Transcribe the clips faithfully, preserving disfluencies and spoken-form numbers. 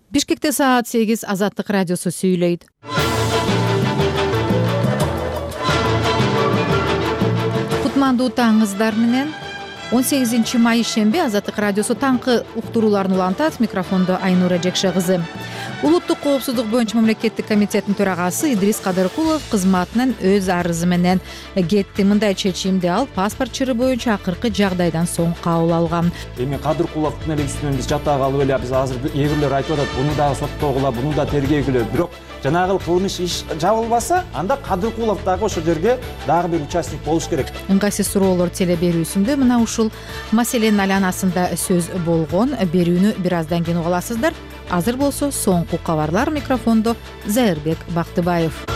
Бишкекте саат сегиз. Азаттык радиосу сүйлөйт. Кутмандуу таңыңыздар менен. он сегизинчи май ишемби Азаттык радиосу таңкы уктурууларын улантат. Микрофондо Айнура Жекше кызы. Улуттук коопсуздук боюнча мамлекеттик комитеттин төрагасы Идрис Кадыркулов кызматынан өз арызы менен кетти. Мындай чечимди ал паспорт чыры боюнча акыркы жагдайдан соң кабыл алган. Эми Кадыркуловдун эле үстүнөн биз жата калып эле биз азыр эгүлөр айтып атат, буну дагы соттогула, буну да тергегүлө. Бирок жанагы кылмыш иш жабылбаса, анда Кадыркулов дагы ошол жерге дагы бир участник болуш керек. Ыңгайсыз суроолор теле берүүсүндө мына ушул маселенин айланасында сөз болгон. Берүүнү бир аздан кийин уга аласыздар. Азыр болсо соңку кабарлар. Микрофондо Зайырбек Бактыбаев.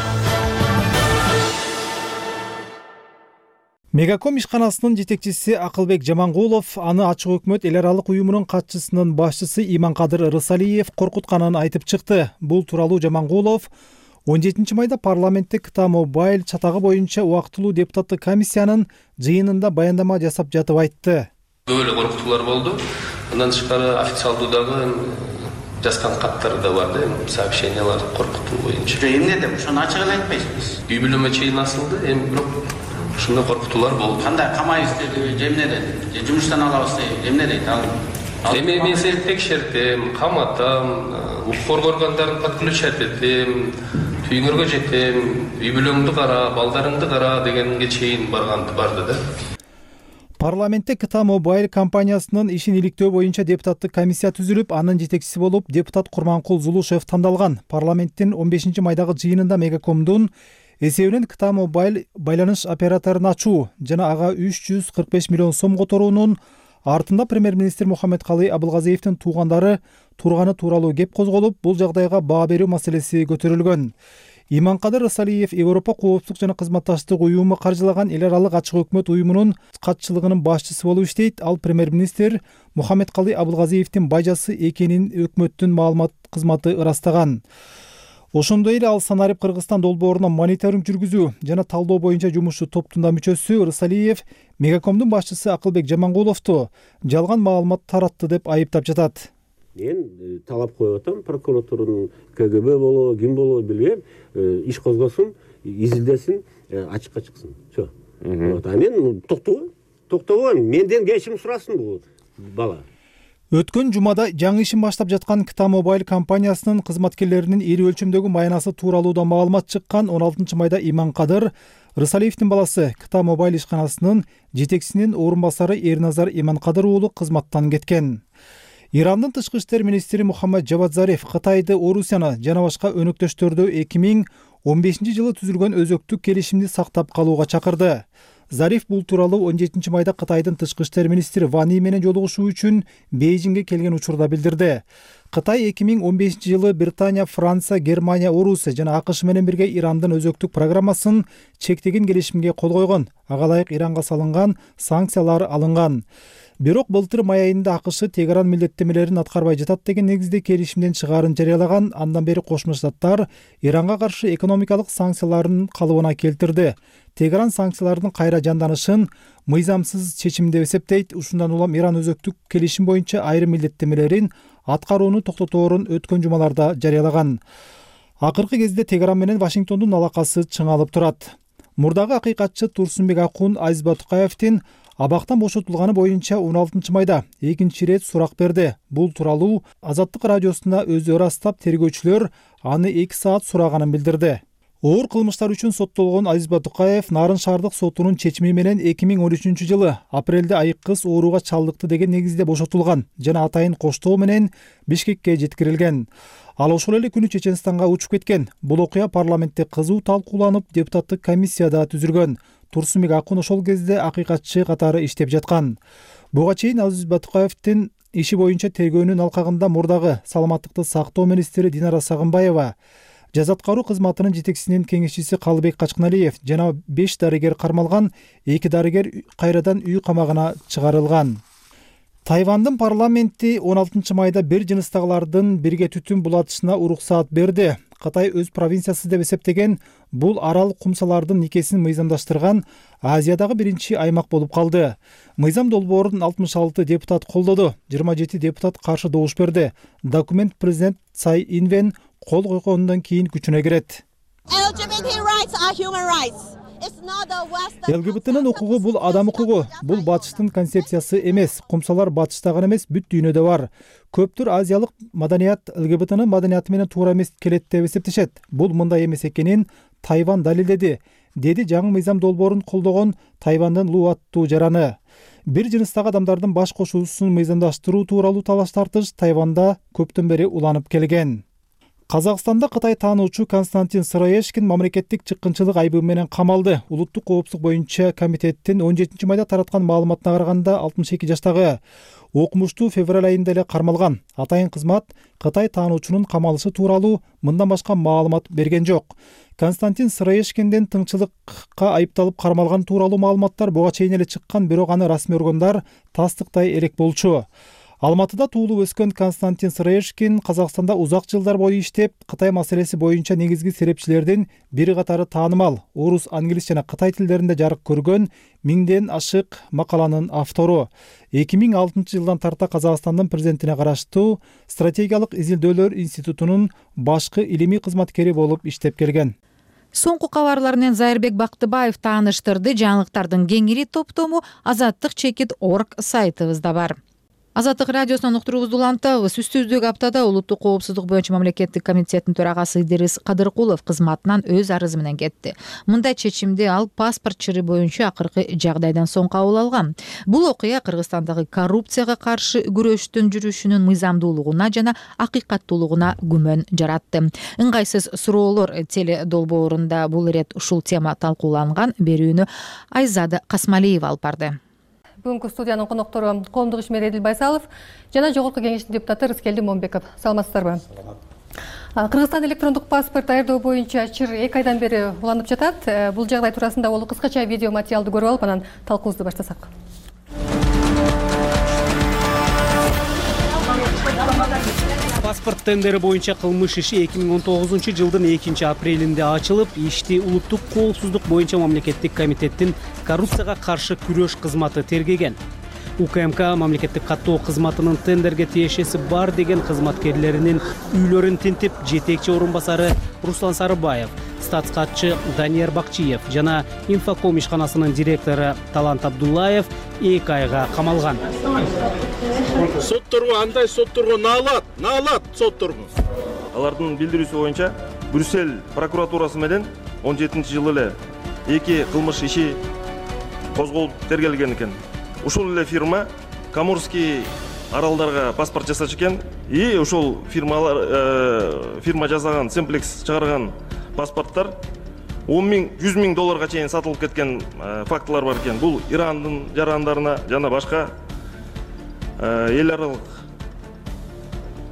Мегаком ишканасынын жетекчиси Акылбек Жамангулов аны ачык өкмөт эл аралык уюмунун катчысынын башчысы Иманкадыр Рысалиев коркутканын айтып чыкты. Бул тууралуу Жамангулов он жетинчи майда парламентте Кыта Мобайл чатагы боюнча убактылуу депутаттык комиссиянын жыйынында баяндама жасап жатып айтты. Көп эле коркутуулар болду. Андан тышкары официалдуу дагы жазган каттар да бар да, сообщениялар коркутуу боюнча. Эмне деп ошону ачык эле айтпайсызбыз. Үй бүлөмө чейин асылды, эми бирок ушундай коркутуулар болду. Кандай камайбыз деди, же эмне деди? Же жумуштан алабыз деди, эмне дейт ал? Эми мен сени текшертем, каматам, укук органдарын подключать этем, түйүңөргө жетем, үй бүлөңдү кара, балдарыңды кара дегенге чейин барганды барды да. Парламентте Кыта Мобайл компаниясынын ишин иликтөө боюнча депутаттык комиссия түзүлүп, анын жетекчиси болуп депутат Курманкул Зулушев тандалган. Парламенттин он бешинчи майдагы жыйынында Мегакомдун эсебинен Кыта Мобайл байланыш операторун ачуу жана ага үч жүз кырк беш миллион сом которуунун артында премьер-министр Мухаммедкалый Абылгазиевдин туугандары турганы тууралуу кеп козголуп, бул жагдайга баа берүү маселеси көтөрүлгөн. Иманкадыр Рысалиев Европа коопсуздук жана кызматташтык уюму каржылаган эл аралык ачык өкмөт уюмунун катчылыгынын башчысы болуп иштейт. Ал премьер-министр Мухаммедкалый Абылгазиевдин бажасы экенин өкмөттүн маалымат кызматы ырастаган. Ошондой эле ал санарип Кыргызстан долбооруна мониторинг жүргүзүү жана талдоо боюнча жумушчу топтун да мүчөсү. Рысалиев Мегакомдун башчысы Акылбек Жамангуловду жалган маалымат таратты деп айыптап жатат. Мен талап коюп атам, прокуратуранын КГБ болобу, ким болобу билбейм, иш козгосун, изилдесин, ачыкка чыксын. Все. Вот, а мен токтобойм. Токтобойм. Менден кечирим сурасын бул бала. Өткөн жумада жаңы ишин баштап жаткан Кыта Мобайл компаниясынын кызматкерлеринин ири өлчөмдөгү маянасы тууралуу да маалымат чыккан. он алтынчы майда Иманкадыр Рысалиевдин баласы Кыта Мобайл ишканасынын жетекчисинин орун басары Эрназар Иманкадыр уулу кызматтан кеткен. Ирандын тышкы иштер министри Мухаммад Жавад Зариф Кытайды, Орусияны жана башка өнөктөштөрдү эки миң он бешинчи жылы түзүлгөн өзөктүк келишимди сактап калууга чакырды. Зариф бул тууралуу он жетинчи майда Кытайдын тышкы иштер министри Ван Yi менен жолугушуу үчүн Бейжиңге келген учурда билдирди. Кытай эки миң он бешинчи жылы Британия, Франция, Германия, Орусия жана АКШ менен бирге Ирандын өзөктүк программасын чектеген келишимге кол койгон. Ага ылайык Иранга салынган санкциялар алынган. Бирок былтыр май айында АКШ Тегеран милдеттемелерин аткарбай жатат деген негизде келишимден чыгаарын жарыялаган. Андан бери Кошмо Штаттар Иранга каршы экономикалык санкцияларын калыбына келтирди. Тегеран санкциялардын кайра жанданышын мыйзамсыз чечим деп эсептейт. Ушундан улам Иран өзөктүк келишим боюнча айрым милдеттемелерин аткарууну токтоторун өткөн жумаларда жарыялаган. Акыркы кезде Тегеран менен Вашингтондун алакасы чыңалып турат. Мурдагы акыйкатчы Турсунбек Акун Азиз Батукаевдин абактан бошотулганы боюнча он алтынчы майда экинчи ирет сурак берди. Бул тууралуу Азаттык радиосуна өзү ырастап, тергөөчүлөр аны эки саат сураганын билдирди. Оор кылмыштар үчүн соттолгон Азиз Батукаев Нарын шаардык сотунун чечими менен эки миң он үчүнчү жылы апрелде айык кыз ооруга чалдыкты деген негизде бошотулган жана атайын коштоо менен Бишкекке жеткирилген. Ал ошол эле күнү Чеченстанга учуп кеткен. Бул окуя парламентте кызуу талкууланып, депутаттык комиссияда түзүлгөн. Турсунбек Акун ошол кезде акыйкатчы катары иштеп жаткан. Буга чейин Азиз Батукаевдин иши боюнча тергөөнүн алкагында мурдагы саламаттыкты сактоо министри Динара Сагынбаева, жаза аткаруу кызматынын жетекчисинин кеңешчиси Калыбек Качкыналиев жана беш дарыгер кармалган, эки дарыгер кайрадан үй камагына чыгарылган. Тайвандын парламенти он алтынчы майда бир жыныстагылардын бирге түтүн булатышына уруксаат берди. Кытай өз провинциясы деп эсептеген бул арал кумсалардын никесин мыйзамдаштырган Азиядагы биринчи аймак болуп калды. Мыйзам долбоорун алтымыш алты депутат колдоду, жыйырма жети депутат каршы добуш берди. Документ президент Цай Инвен кол койгондон кийин күчүнө кирет. ЛГБТнын укугу бул адам укугу, бул батыштын концепциясы эмес. Кумсалар батышта гана эмес, бүт дүйнөдө бар. Көптүр азиялык маданият ЛГБТнын маданияты менен туура эмес келет деп эсептешет. Бул мындай эмес экенин Тайвань далилдеди, деди жаңы мыйзам долбоорун колдогон Тайвандын Лу аттуу жараны. Бир жыныстагы адамдардын баш кошуусун мыйзамдаштыруу тууралуу талаш тартыш Тайванда көптөн бери уланып келген. Казакстанда Кытай таануучу Константин Сыроежкин мамлекеттик чыккынчылык айыбы менен камалды. Улуттук коопсуздук боюнча комитеттин он жетинчи майда тараткан маалыматына караганда алтымыш эки жаштагы окумуштуу февраль айында эле кармалган. Атайын кызмат Кытай таануучунун камалышы тууралуу мындан башка маалымат берген жок. Константин Сыроежкинден тыңчылыкка айыпталып кармалган тууралуу маалыматтар буга чейин эле чыккан, бирок аны расмий органдар тастыктай элек болчу. Алматыда туулуп өскөн Константин Сыроежкин Казакстанда узак жылдар бою иштеп, Кытай маселеси боюнча негизги серепчилердин бири катары таанымал орус, англис жана кытай тилдеринде жарык көргөн миңден ашык макаланын автору. эки миң алтынчы жылдан тарта Казакстандын президентине караштуу стратегиялык изилдөөлөр институтунун башкы илимий кызматкери болуп иштеп келген. Соңку кабарлар менен Зайырбек Бактыбаев тааныштырды. Жаңылыктардын кеңири топтому азаттык чекит точка орг сайтыбызда бар. Азаттык радиосунан уктуруубузду улантабыз. Үстүбүздөгү аптада улуттук коопсуздук боюнча мамлекеттик комитеттин төрагасы Идирис Кадыркулов кызматынан өз арызы менен кетти. Мындай чечимди ал паспорт чыры боюнча акыркы жагдайдан соң кабыл алган. Бул окуя Кыргызстандагы коррупцияга каршы күрөштүн жүрүшүнүн мыйзамдуулугуна жана акыйкаттуулугуна күмөн жаратты. Ыңгайсыз суроолор теле долбоорунда бул ирет ушул тема талкууланган. Берүүнү Айзада Касмалиева алып барды. Бүгүнкү студиянын коноктору коомдук ишмер Эдил Байсалов жана жогорку кеңештин депутаты Рыскелди Момбеков. Саламатсыздарбы? Кыргызстан электрондук паспорт даярдоо боюнча чыр эки айдан бери уланып жатат. Бул жагдай туурасында ол кыскача видео материалды көрүп алып, анан талкуубузду баштасак. Паспорт тендери боюнча кылмыш иши эки миң он тогузунчу жылдын экинчи апрелинде ачылып, ишти улуттук коопсуздук боюнча мамлекеттик комитеттин коррупцияга каршы күрөш кызматы тергеген. УКМК мамлекеттик каттоо кызматынын тендерге тиешеси бар деген кызматкерлеринин үйлөрүн тинтип, жетекчи орун басары Руслан Сарыбаев, статс катчы Данияр Бакчиев жана Инфоком ишканасынын директору Талант Абдуллаев эки айга камалган. Сотторго андай сотторго наалат, наалат сотторго. Алардын билдирүүсү боюнча Брюссель прокуратурасы менен он жетинчи жылы эле эки кылмыш иши козголуп тергелген экен. Ушул эле фирма Камурский аралдарга паспорт жасач экен. И ушул фирмалар э, фирма жасаган Simplex чыгарган паспорттор он миң, жүз миң долларга чейин сатылып кеткен э, фактылар бар экен. Бул Ирандын жарандарына жана башка эл аралык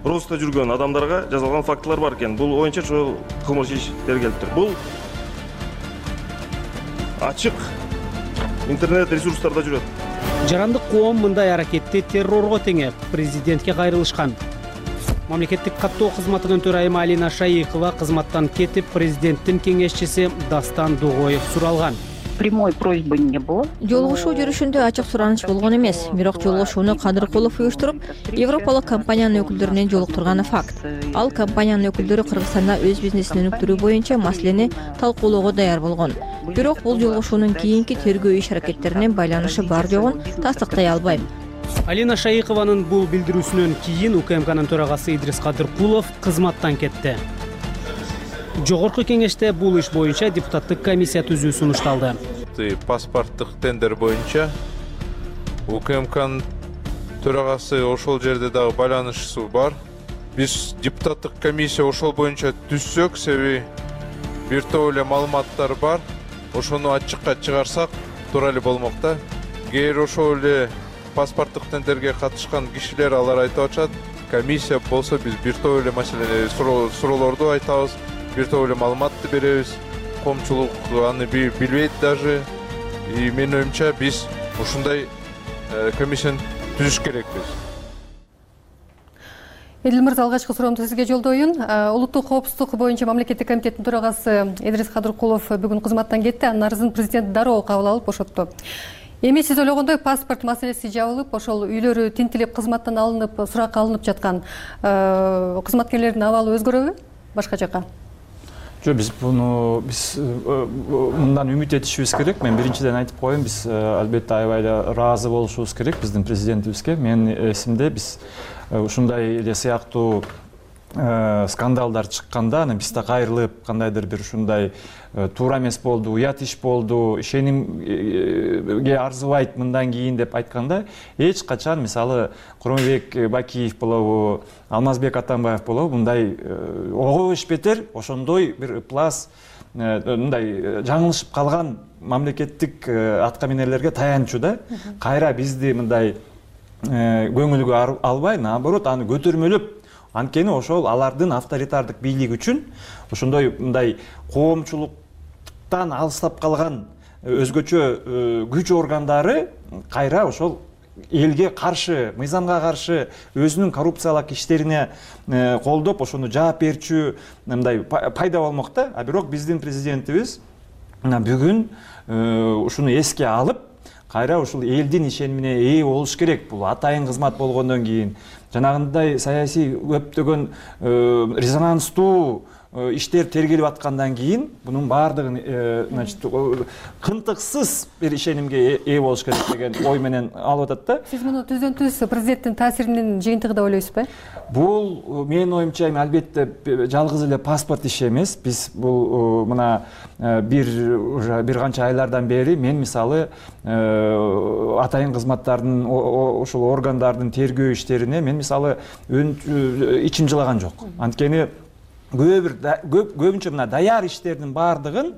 роста жүргөн адамдарга жасалган фактылар бар экен. Бул боюнча ошол кылмыш иш тергелиптир. Бул ачык интернет ресурстарда жүрөт. Жарандык коом мындай аракетти террорго теңеп, президентке кайрылышкан. Мамлекеттик каттоо кызматынын төрайымы Алина Шайыкова кызматтан кетип, президенттин кеңешчиси Дастан Дугоев суралган. Прямой просьбы не было. Жолугушуу жүрүшүндө ачык сураныч болгон эмес. Бирок жолугушууну Кадыркулов уюштуруп, Европалык компаниянын өкүлдөрүнөн жолуктурганы факт. Ал компаниянын өкүлдөрү Кыргызстанда өз бизнесин өнүктүрүү боюнча маселени талкуулоого даяр болгон. Бирок бул жолугушуунун кийинки тергөө иш аракеттерине байланышы бар жогун тастыктай албайм. Алина Шайыкованын бул билдирүүсүнөн кийин УКМКнын төрагасы Идрис Кадыркулов кызматтан кетти. Жогорку кеңеште бул иш боюнча депутаттык комиссия түзүү сунушталды. Паспорттук тендер боюнча УКМКнын төрагасы ошол жерде дагы байланышысы бар. Биз депутаттык комиссия ошол боюнча түзсөк, себеби бир топ эле маалыматтар бар. Ошону ачыкка чыгарсак туура эле болмок да. Эгер ошол эле паспорттук тендерге катышкан кишилер алар айтып атышат, комиссия болсо биз бир топ эле маселени суроолорду айтабыз, бир топ эле маалыматты беребиз. Коомчулук аны билбейт даже. И менин оюмча биз ушундай комиссияны түзүш керекпиз. Эдил мырза, алгачкы суроомду сизге жолдоюн. Улуттук коопсуздук боюнча мамлекеттик комитеттин төрагасы Идрис Кадыркулов бүгүн кызматтан кетти. Анын арызын президент дароо кабыл алып бошотту. Эми сиз ойлогондой паспорт маселеси жабылып, ошол үйлөрү тинтилип кызматтан алынып, суракка алынып жаткан кызматкерлердин абалы өзгөрөбү башка жака? Жок, биз буну биз мындан үмүт этишибиз керек. Мен биринчиден айтып коеюн, биз албетте аябай эле ыраазы болушубуз керек биздин президентибизге. Менин эсимде биз ушундай эле сыяктуу скандалдар чыкканда, анан биз да кайрылып, кандайдыр бир ушундай туура эмес болду, уят иш болду, ишенимге арзыбайт мындан кийин деп айтканда, эч качан мисалы Куромбек Бакиев болобу, Алмазбек Атамбаев болобу мындай ого беш бетер ошондой бир ыплас мындай жаңылышып калган мамлекеттик аткаминерлерге таянчу да. Кайра бизди мындай көңүлгө албай, наоборот, аны көтөрмөлөп, анткени ошол алардын авторитардык бийлиги үчүн ошондой мындай коомчулуктан алыстап калган өзгөчө күч органдары кайра ошол элге каршы, мыйзамга каршы өзүнүн коррупциялык иштерине колдоп, ошону жаап берчү мындай пайда болмок да. А бирок биздин президентибиз бүгүн ушуну эске алып, кайра ушул элдин ишенимине ээ болуш керек. Бул атайын кызмат болгондон кийин жанагындай саясий көптөгөн резонанстуу иштер тергелип аткандан кийин бунун баардыгын значит кынтыксыз бир ишенимге ээ болуш керек деген ой менен алып атат да. Сиз муну түздөн түз президенттин таасиринин жыйынтыгы деп ойлойсузбу? Бул менин оюмча эми албетте жалгыз эле паспорт иши эмес. Биз бул мына бир уже бир канча айлардан бери мен мисалы атайын кызматтардын ошол органдардын тергөө иштерине мен мисалы ичим жылаган жок. Анткени көбүнчө мына даяр иштердин баардыгын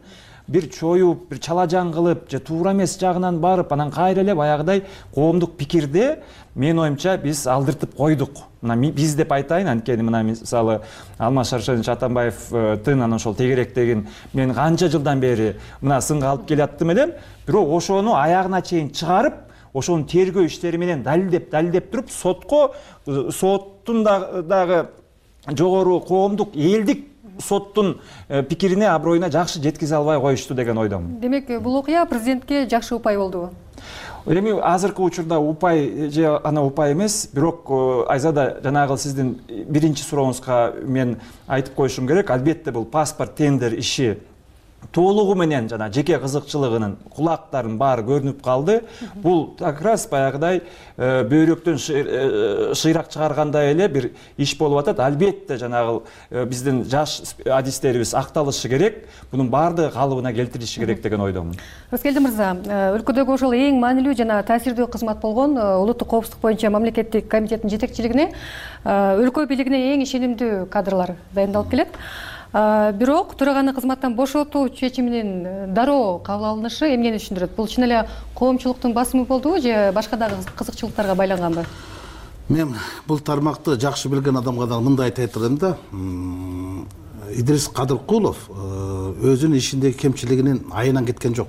бир чоюп, бир чалажан кылып, же туура эмес жагынан барып, анан кайра эле баягыдай коомдук пикирде менин оюмча биз алдыртып койдук. Мына биз деп айтайын, анткени мына мисалы Алмаз Шаршенович Атамбаевдин анан ошол тегеректегин мен канча жылдан бери мына сынга алып келаттым элем, бирок ошону аягына чейин чыгарып, ошонун тергөө иштери менен далилдеп, далилдеп туруп, сотко, соттун дагы жогору коомдук элдик соттун пикирине, аброюна жакшы жеткизе албай коюшту деген ойдомун. Демек, бул окуя президентке жакшы упай болдубу? Эми азыркы учурда упай же ана упай эмес, бирок Айзада жанагы сиздин биринчи сурооңузга мен айтып коюшум керек. Албетте бул паспорт тендер иши толугу менен жана жеке кызыкчылыгынын кулактарын баары көрүнүп калды. Бул как раз баягыдай бөйрөктөн шыйрак чыгаргандай эле бир иш болуп атат. Албетте жанагы биздин жаш адистерибиз акталышы керек. Бунун баардыгы калыбына келтирилиши керек деген ойдомун. Рыскелди мырза, өлкөдөгү ошол эң маанилүү жана таасирдүү кызмат болгон улуттук коопсуздук боюнча мамлекеттик комитеттин жетекчилигине, өлкө бийлигине эң ишенимдүү кадрлар дайындалып келет. Бирок төраганы кызматтан бошотуу чечиминин дароо кабыл алынышы эмнени түшүндүрөт? Бул чын эле коомчулуктун басымы болдубу же башка дагы кызыкчылыктарга байланганбы? Мен бул тармакты жакшы билген адамга да мындай айта турам да. Идрис Кадыркулов өзүнүн ишиндеги кемчилигинин айынан кеткен жок.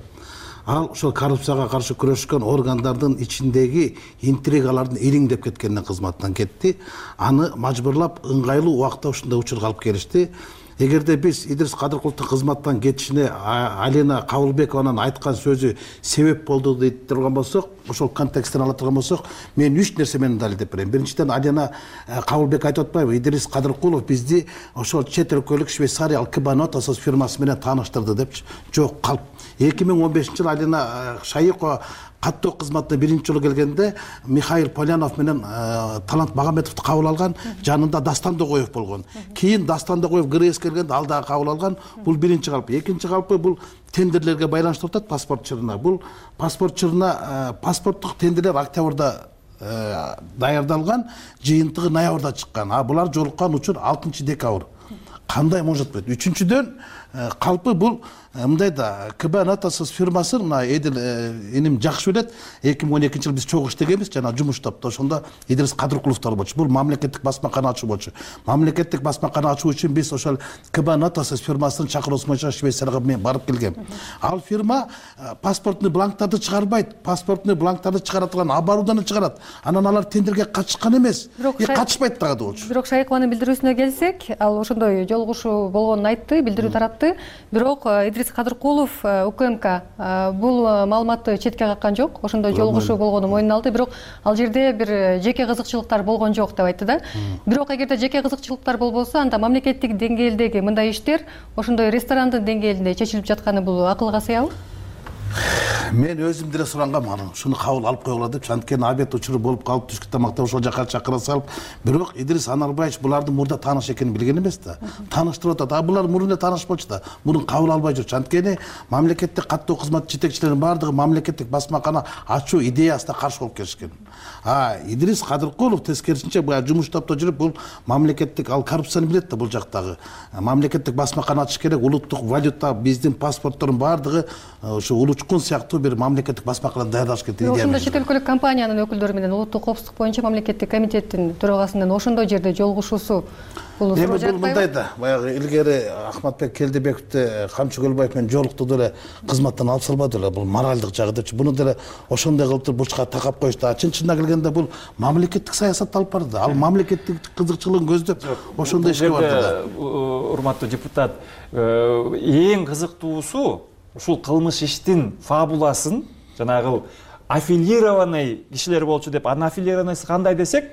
Ал ошол коррупцияга каршы күрөшкөн органдардын ичиндеги интригалардын ириңдеп кеткенинен кызматтан кетти. Аны мажбурлап ыңгайлуу убакытта ушундай учурга алып келишти. Эгерде биз Идрис Кадыркуловдун кызматтан кетишине Алина Кабылбекованын айткан сөзү себеп болду дейт турган болсок, ошол контексттен ала турган болсок, мен үч нерсе менен далилдеп берем. Биринчиден, Алина Кабылбек айтып атпайбы, Идрис Кадыркулов бизди ошол чет өлкөлүк Швейцария Алкебанотос фирмасы менен тааныштырды депчи. Жок, калп. эки миң он бешинчи жылы Алина Шайыкова каттоо кызматына биринчи жолу келгенде Михаил Полянов менен Талант Магометовду кабыл алган, жанында Дастан Догоев болгон. Кийин Дастан Догоев ГРС келгенде ал дагы кабыл алган. Бул биринчи калп. Экинчи калпы бул тендерлерге байланыштуу атат, паспорт чырына. Бул паспорт чырына паспорттук тендерлер октябрда даярдалган, жыйынтыгы ноябрда чыккан. А булар жолуккан учур алтынчы декабрь. кандай может быть? Үчүнчүдөн калпы бул мындай да КБ Натасыз фирмасын мына Эдил иним жакшы билет. эки миң он экинчи жылы биз чогуу иштегенбиз, жана жумуш таптып. Ошондо Идрис Кадыркуловдор болчу. Бул мамлекеттик басмакана ачуу болчу. Мамлекеттик басмакана ачуу үчүн биз ошол КБ Натасыз фирмасынын чакыруусу боюнча Швейцарияга мен барып келгем. Ал фирма паспортный бланктарды чыгарбайт. Паспортный бланктарды чыгара турган оборудование чыгарат. Анан алар тендерге катышкан эмес. Катышпайт дагы болчу. Бирок Шайыкованын билдирүүсүнө келсек, ал ошондой жолугушуу болгонун айтты, билдирүү таратты. Бирок Идрис Кадыркулов УКМК бул маалыматты четке каккан жок. Ошондой жолугушуу болгонун мойнуна алды. Бирок ал жерде бир жеке кызыкчылыктар болгон жок деп айтты да. Бирок эгерде жеке кызыкчылыктар болбосо, анда мамлекеттик деңгээлдеги мындай иштер ошондой ресторандын деңгээлинде чечилип жатканы бул акылга сыябы? Мен өзүм деле сурангам, ушуну кабыл алып койгула деп, анткени обед учуру болуп калып, түшкү тамакта ошол жака чакыра салып, бирок Идрис Анарбаевич булардын мурда тааныш экенин билген эмес да. Тааныштырып атат. А булар мурун эле тааныш болчу да. Мурун кабыл албай жүрчү. Анткени мамлекеттик каттоо кызмат жетекчилеринин баардыгы мамлекеттик басмакана ачуу идеясына каршы болуп келишкен. А Идрис Кадыркулов тескерисинче бул жумуш топто жүрүп, бул мамлекеттик ал коррупцияны билет да бул жактагы. Мамлекеттик басмакана ачыш керек, улуттук валюта, биздин паспорттордун баардыгы ошо улучкун сыяктуу бир мамлекеттик басмаканы даярдаш керек идея. Ошондо чет өлкөлүк компаниянын өкүлдөрү менен улуттук коопсуздук боюнча мамлекеттик комитеттин төрагасынын ошондой жерде жолугушуусу бул эми бул мындай да, баягы илгери Ахматбек Келдебековди Камчы Көлбаев менен жолукту деле кызматтан алып салбады эле, бул моралдык жагы депчи. Буну деле ошондой кылып туруп бурчка такап коюшту. Чын-чынына келгенде бул мамлекеттик саясат алып барды. Ал мамлекеттик кызыкчылыгын көздөп ошондой ишке барды да. Урматтуу депутат, эң кызыктуусу ушул кылмыш иштин фабуласын жанагы аффилированный кишилер болчу деп, анын аффилированныйсы кандай десек,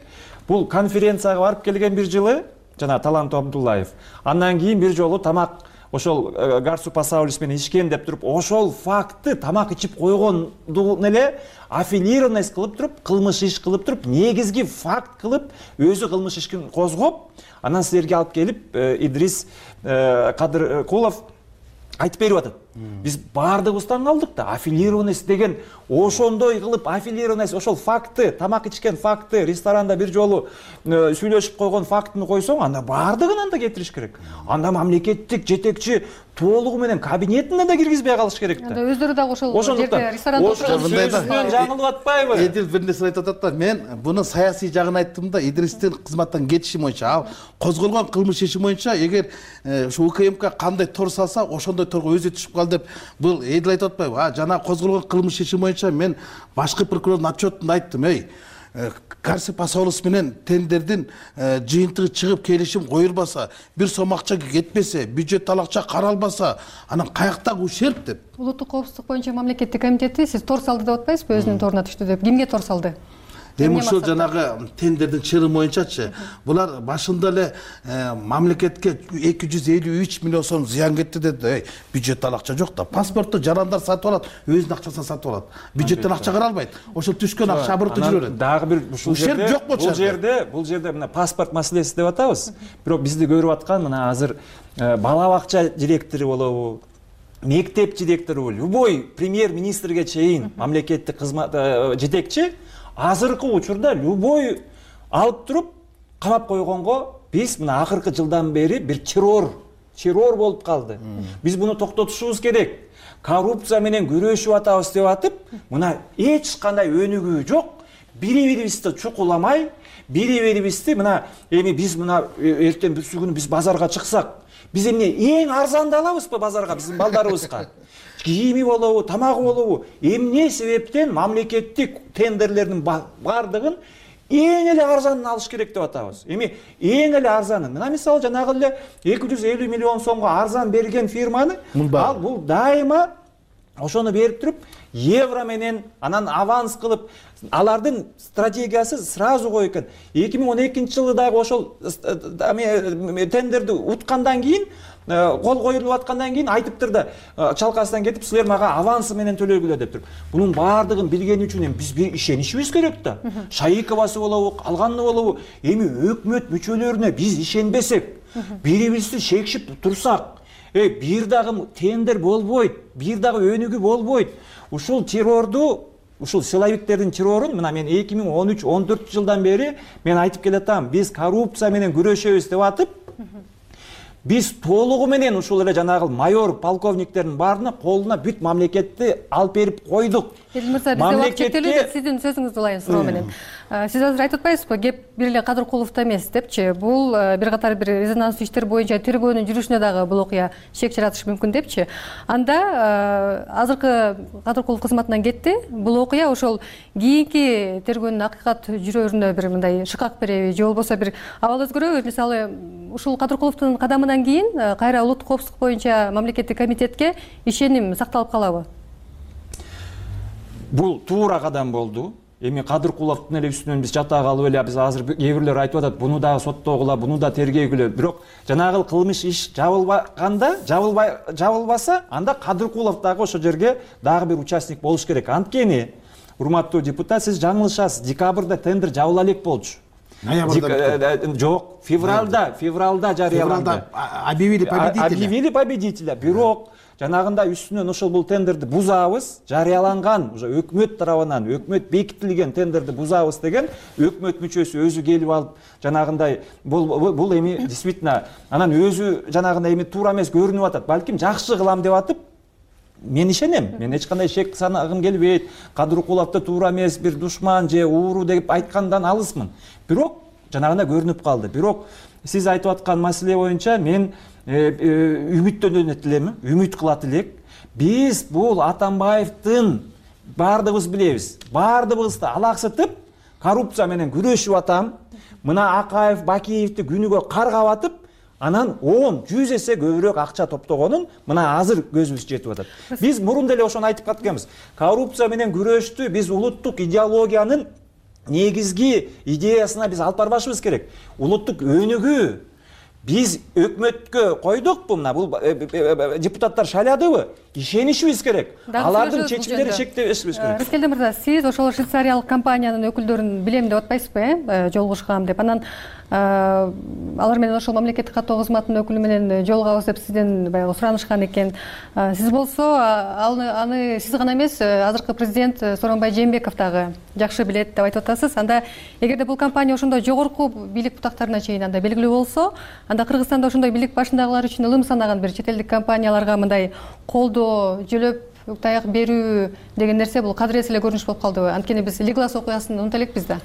бул конференцияга барып келген бир жылы жана Талант Абдуллаев, андан кийин бир жолу тамак ошол Гарсу Пасаулис менен ишкен деп туруп, ошол фактты тамак ичип койгондун эле аффилированность кылып туруп, кылмыш иш кылып туруп, негизги факт кылып, өзү кылмыш ишин козгоп, анан силерге алып келип Идрис Кадыркулов айтып берип атат. Биз баардыгыбыздан калдык да, аффилированность деген ошондой кылып, аффилированность ошол факты, тамак ичкен факты, ресторанда бир жолу сүйлөшүп койгон фактыны койсоң, анда баардыгын анда кетириш керек. Анда мамлекеттик жетекчи толугу менен кабинетине да киргизбей калыш керек да. Анда өздөрү дагы ошол жерде ресторанда сөзүнөн жаңылып атпайбы? Эдил бир нерсе айтып атат да, мен буну саясий жагын айттым да, Идристин кызматтан кетиши боюнча, ал козголгон кылмыш иши боюнча эгер ушу УКМК кандай тор салса, ошондой торго өзү түшүп кал деп бул Эдил айтып атпайбы? А жана козголгон кылмыш иши боюнча мен башкы прокурордун отчетунда айттым, эй, Гарсу Пасаулис менен тендердин жыйынтыгы чыгып келишим коюлбаса, бир сом акча кетпесе, бюджеттен акча каралбаса, анан каяктагы ущерб деп. Улуттук коопсуздук боюнча мамлекеттик комитети сиз тор салды деп атпайсызбы, өзүнүн торуна түштү деп? Кимге тор салды? Эми ушул жанагы тендердин чыры боюнчачы, булар башында эле мамлекетке эки жүз элүү үч миллион сом зыян кетти деди. Бюджеттен акча жок да. Паспортты жарандар сатып алат, өзүнүн акчасына сатып алат. Бюджеттен акча каралбайт. Ошол түшкөн акча абыртып жүрөт. Дагы бир ушул жерде жок болчу. Бул жерде, бул жерде мына паспорт маселеси деп атабыз. Бирок бизди көрүп аткан мына азыр бала бакча директору болобу, мектеп директору, любой премьер-министрге чейин мамлекеттик кызмат жетекчи азыркы учурда любой алып туруп камап койгонго биз мына акыркы жылдан бери бир террор, террор болуп калды. Биз буну токтотушубуз керек. Коррупция менен күрөшүп атабыз деп атып, мына эч кандай өнүгүү жок. Бири-бирибизди чукуламай, бири-бирибизди мына эми биз мына эртең бүсү күнү биз базарга чыксак, биз эмне эң арзанды алабызбы базарга биздин балдарыбызга? Кийими болобу, тамагы болобу? Эмне себептен мамлекеттик тендерлердин бардыгын эң эле арзанын алыш керек деп атабыз? Эми эң эле арзанын. Мына мисалы жанагы эле эки жүз элүү миллион сомго арзан берген фирманы, ал бул дайыма ошону берип туруп, евро менен анан аванс кылып, алардын стратегиясы сразу кой экен. эки миң он экинчи жылы дагы ошол тендерди уткандан кийин, кол коюлуп аткандан кийин айтыптыр да, чалкасынан кетип, силер мага авансы менен төлөгүлө деп туруп. Бунун баардыгын билгени үчүн эми биз бир ишенишибиз керек да. Шайыковасы болобу, калганы болобу, эми өкмөт мүчөлөрүнө биз ишенбесек, бири-бирибизди шекшип турсак, Э, бир дагы тендер болбойт, бир дагы өнүгүү болбойт. Ушул террорду, ушул силовиктердин террорун мына мен эки миң он үч он төрт жылдан бери мен айтып келатам, биз коррупция менен күрөшөбүз деп атып, биз толугу менен ушул эле жанагы майор полковниктердин баарына колуна бүт мамлекетти алып берип койдук. Эдил мырза, бизде убакыт чектелүү, сиздин сөзүңүздү улайын суроо менен. Сиз азыр айтып атпайсызбы, кеп бир эле Кадыркуловдо эмес депчи, бул бир катар бир резонанстуу иштер боюнча тергөөнүн жүрүшүнө дагы бул окуя шек жаратышы мүмкүн депчи. Анда азыркы Кадыркулов кызматынан кетти. Бул окуя ошол кийинки тергөөнүн акыйкат жүрөрүнө бир мындай шыкак береби, же болбосо бир абал өзгөрөбү? Мисалы, ушул Кадыркуловдун кадамынан кийин кайра улуттук коопсуздук боюнча мамлекеттик комитетке ишеним сакталып калабы? Бул туура кадам болду. Эми Кадыркуловдун эле үстүнөн биз жата калып эле, биз азыр кээ бирлер айтып атат, буну дагы соттогула, буну да тергөөгүлө. Бирок жанагы кылмыш иш жабылбаганда, жабылбай жабылбаса, анда Кадыркулов дагы ошол жерге дагы бир участник болуш керек. Анткени, урматтуу депутат, сиз жаңылышасыз. Декабрда тендер жабыла элек болчу. Жок, февралда, февралда жарыяланды. Объявили победителя. Объявили победителя. Бирок жанагында үстүнөн ошол бул тендерди бузабыз, жарыяланган, уже өкмөт тарабынан, өкмөт бекитилген тендерди бузабыз деген өкмөт мүчөсү өзү келип алып, жанагындай бул бул эми действительно анан өзү жанагындай эми туура эмес көрүнүп атат. Балким жакшы кылам деп атып, мен ишенем. Мен эч кандай шек санагым келбейт. Кадыркуловдо туура эмес, бир душман же ууру деп айткандан алысмын. Бирок жанагында көрүнүп калды. Бирок сиз айтып аткан маселе боюнча мен үмүттөнөт элем, үмүт кылат элек. Биз бул Атамбаевдин баардыгыбыз билебиз. Баардыгыбызды алаксытып, коррупция менен күрөшүп атам. Мына Акаев, Бакиевди күнүгө каргап атып, анан он, жүз эсе көбүрөөк акча топтогонун мына азыр көзүбүз жетип атат. Биз мурун деле ошону айтып кеткенбиз. Коррупция менен күрөштү биз улуттук идеологиянын негизги идеясына биз алып барбашыбыз керек. Улуттук өнүгүү биз өкмөткө койдукпу, мына бул депутаттар шайладыбы? Ишенишибиз керек. Алардын чечимдери чектешибиз керек. Рыскелди мырза, сиз ошол швейцариялык компаниянын өкүлдөрүн билем деп атпайсызбы, э? Жолугушкам деп. Анан алар менен ошол мамлекеттик каттоо кызматынын өкүлү менен жолугабыз деп сизден баягы суранышкан экен. Сиз болсо аны аны сиз гана эмес, азыркы президент Сооронбай Жээнбеков дагы жакшы билет деп айтып атасыз. Анда эгерде бул компания ошондой жогорку бийлик бутактарына чейин анда белгилүү болсо, анда Кыргызстанда ошондой бийлик башындагылар үчүн ылым санаган бир чет элдик компанияларга мындай колдоо, жөлөп таяк берүү деген нерсе бул кадырес эле көрүнүш болуп калдыбы? Анткени биз Лиглас окуясын унута элекпиз да.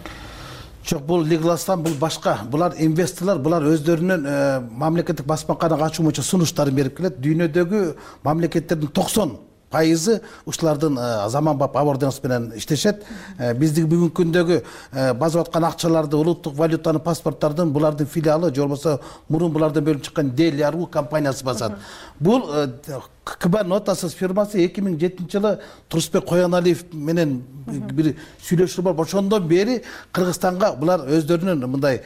Жок, бул Лигластан бул башка. Булар инвесторлор, булар өздөрүнүн мамлекеттик басмаканага ачуу боюнча сунуштарын берип келет. Дүйнөдөгү мамлекеттердин токсон пайызы ушулардын заманбап аборденс менен иштешет. Биздин бүгүнкү күндөгү базып аткан акчаларды, улуттук валютаны, паспорттардын булардын филиалы, же болбосо мурун булардан бөлүнүп чыккан Делиару компаниясы басат. Бул КБ нотасыз фирмасы эки миң жетинчи жылы Турсунбек Кояналиев менен бир сүйлөшүү бар. Ошондон бери Кыргызстанга булар өздөрүнүн мындай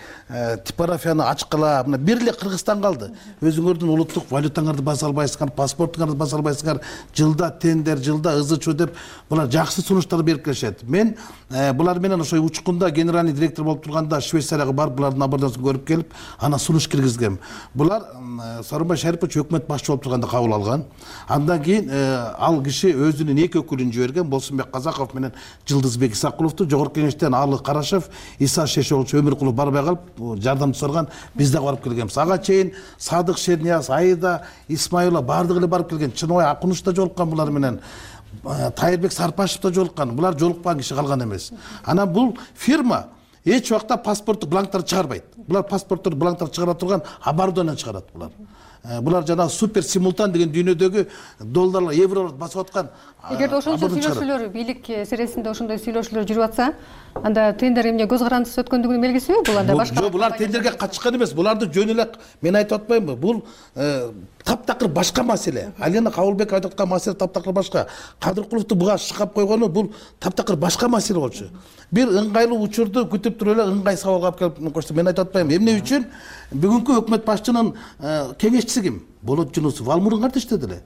типографияны ачкыла, мына бир эле Кыргызстан калды. Өзүңөрдүн улуттук валютаңарды баса албайсыңар, паспортуңарды баса албайсыңар, жылда тендер, жылда ызычуу деп булар жакшы сунуштар берип келишет. Мен булар менен ошо учкунда генеральный директор болуп турганда Швейцарияга барып, булардын аборденсин көрүп келип, ана сунуш киргизгем. Булар Сооронбай Шарипович өкмөт башчы болуп турганда кабыл алган. Андан кийин ал киши өзүнүн эки өкүлүн жиберген, Болсунбек Казаков менен Жылдызбек Исакуловду. Жогорку кеңештен Алы Карашев, Иса Шешович Өмүркулов барбай калып, жардамчы соргон, биз да барып келгенбиз. Ага чейин Садык Шернияз, Айда Исмаилова бардыгы эле барып келген. Чыныбай Акунуш да жолуккан булар менен. Тайырбек Сарпашев да жолуккан. Булар жолукпаган киши калган эмес. Анан бул фирма эч убакта паспорттук бланктарды чыгарбайт. Булар паспорттук бланктарды чыгара турган оборудование чыгарат булар. Булар жана супер симултан деген дүйнөдөгү долларлар, евролор басып аткан. Эгерде ошончо сүйлөшүүлөр, бийлик сересинде ошондой сүйлөшүүлөр жүрүп атса, анда тендер эмне көз карандысыз өткөндүгүнүн белгисиби? Бул анда башка. Жок, булар тендерге катышкан эмес. Буларды жөн эле мен айтып атпаймынбы? Бул таптакыр башка маселе. Алена Кабылбек айтып аткан маселе таптакыр башка. Кадыркуловду буга шыкап койгону бул таптакыр башка маселе болчу. Бир ыңгайлуу учурду күтүп туруп эле ыңгай сабалга алып келип койсо, мен айтып атпаймынбы? Эмне үчүн бүгүнкү өкмөт башчынын кеңешчиси ким? Болот Жунусов ал мурун кантип иштеди эле?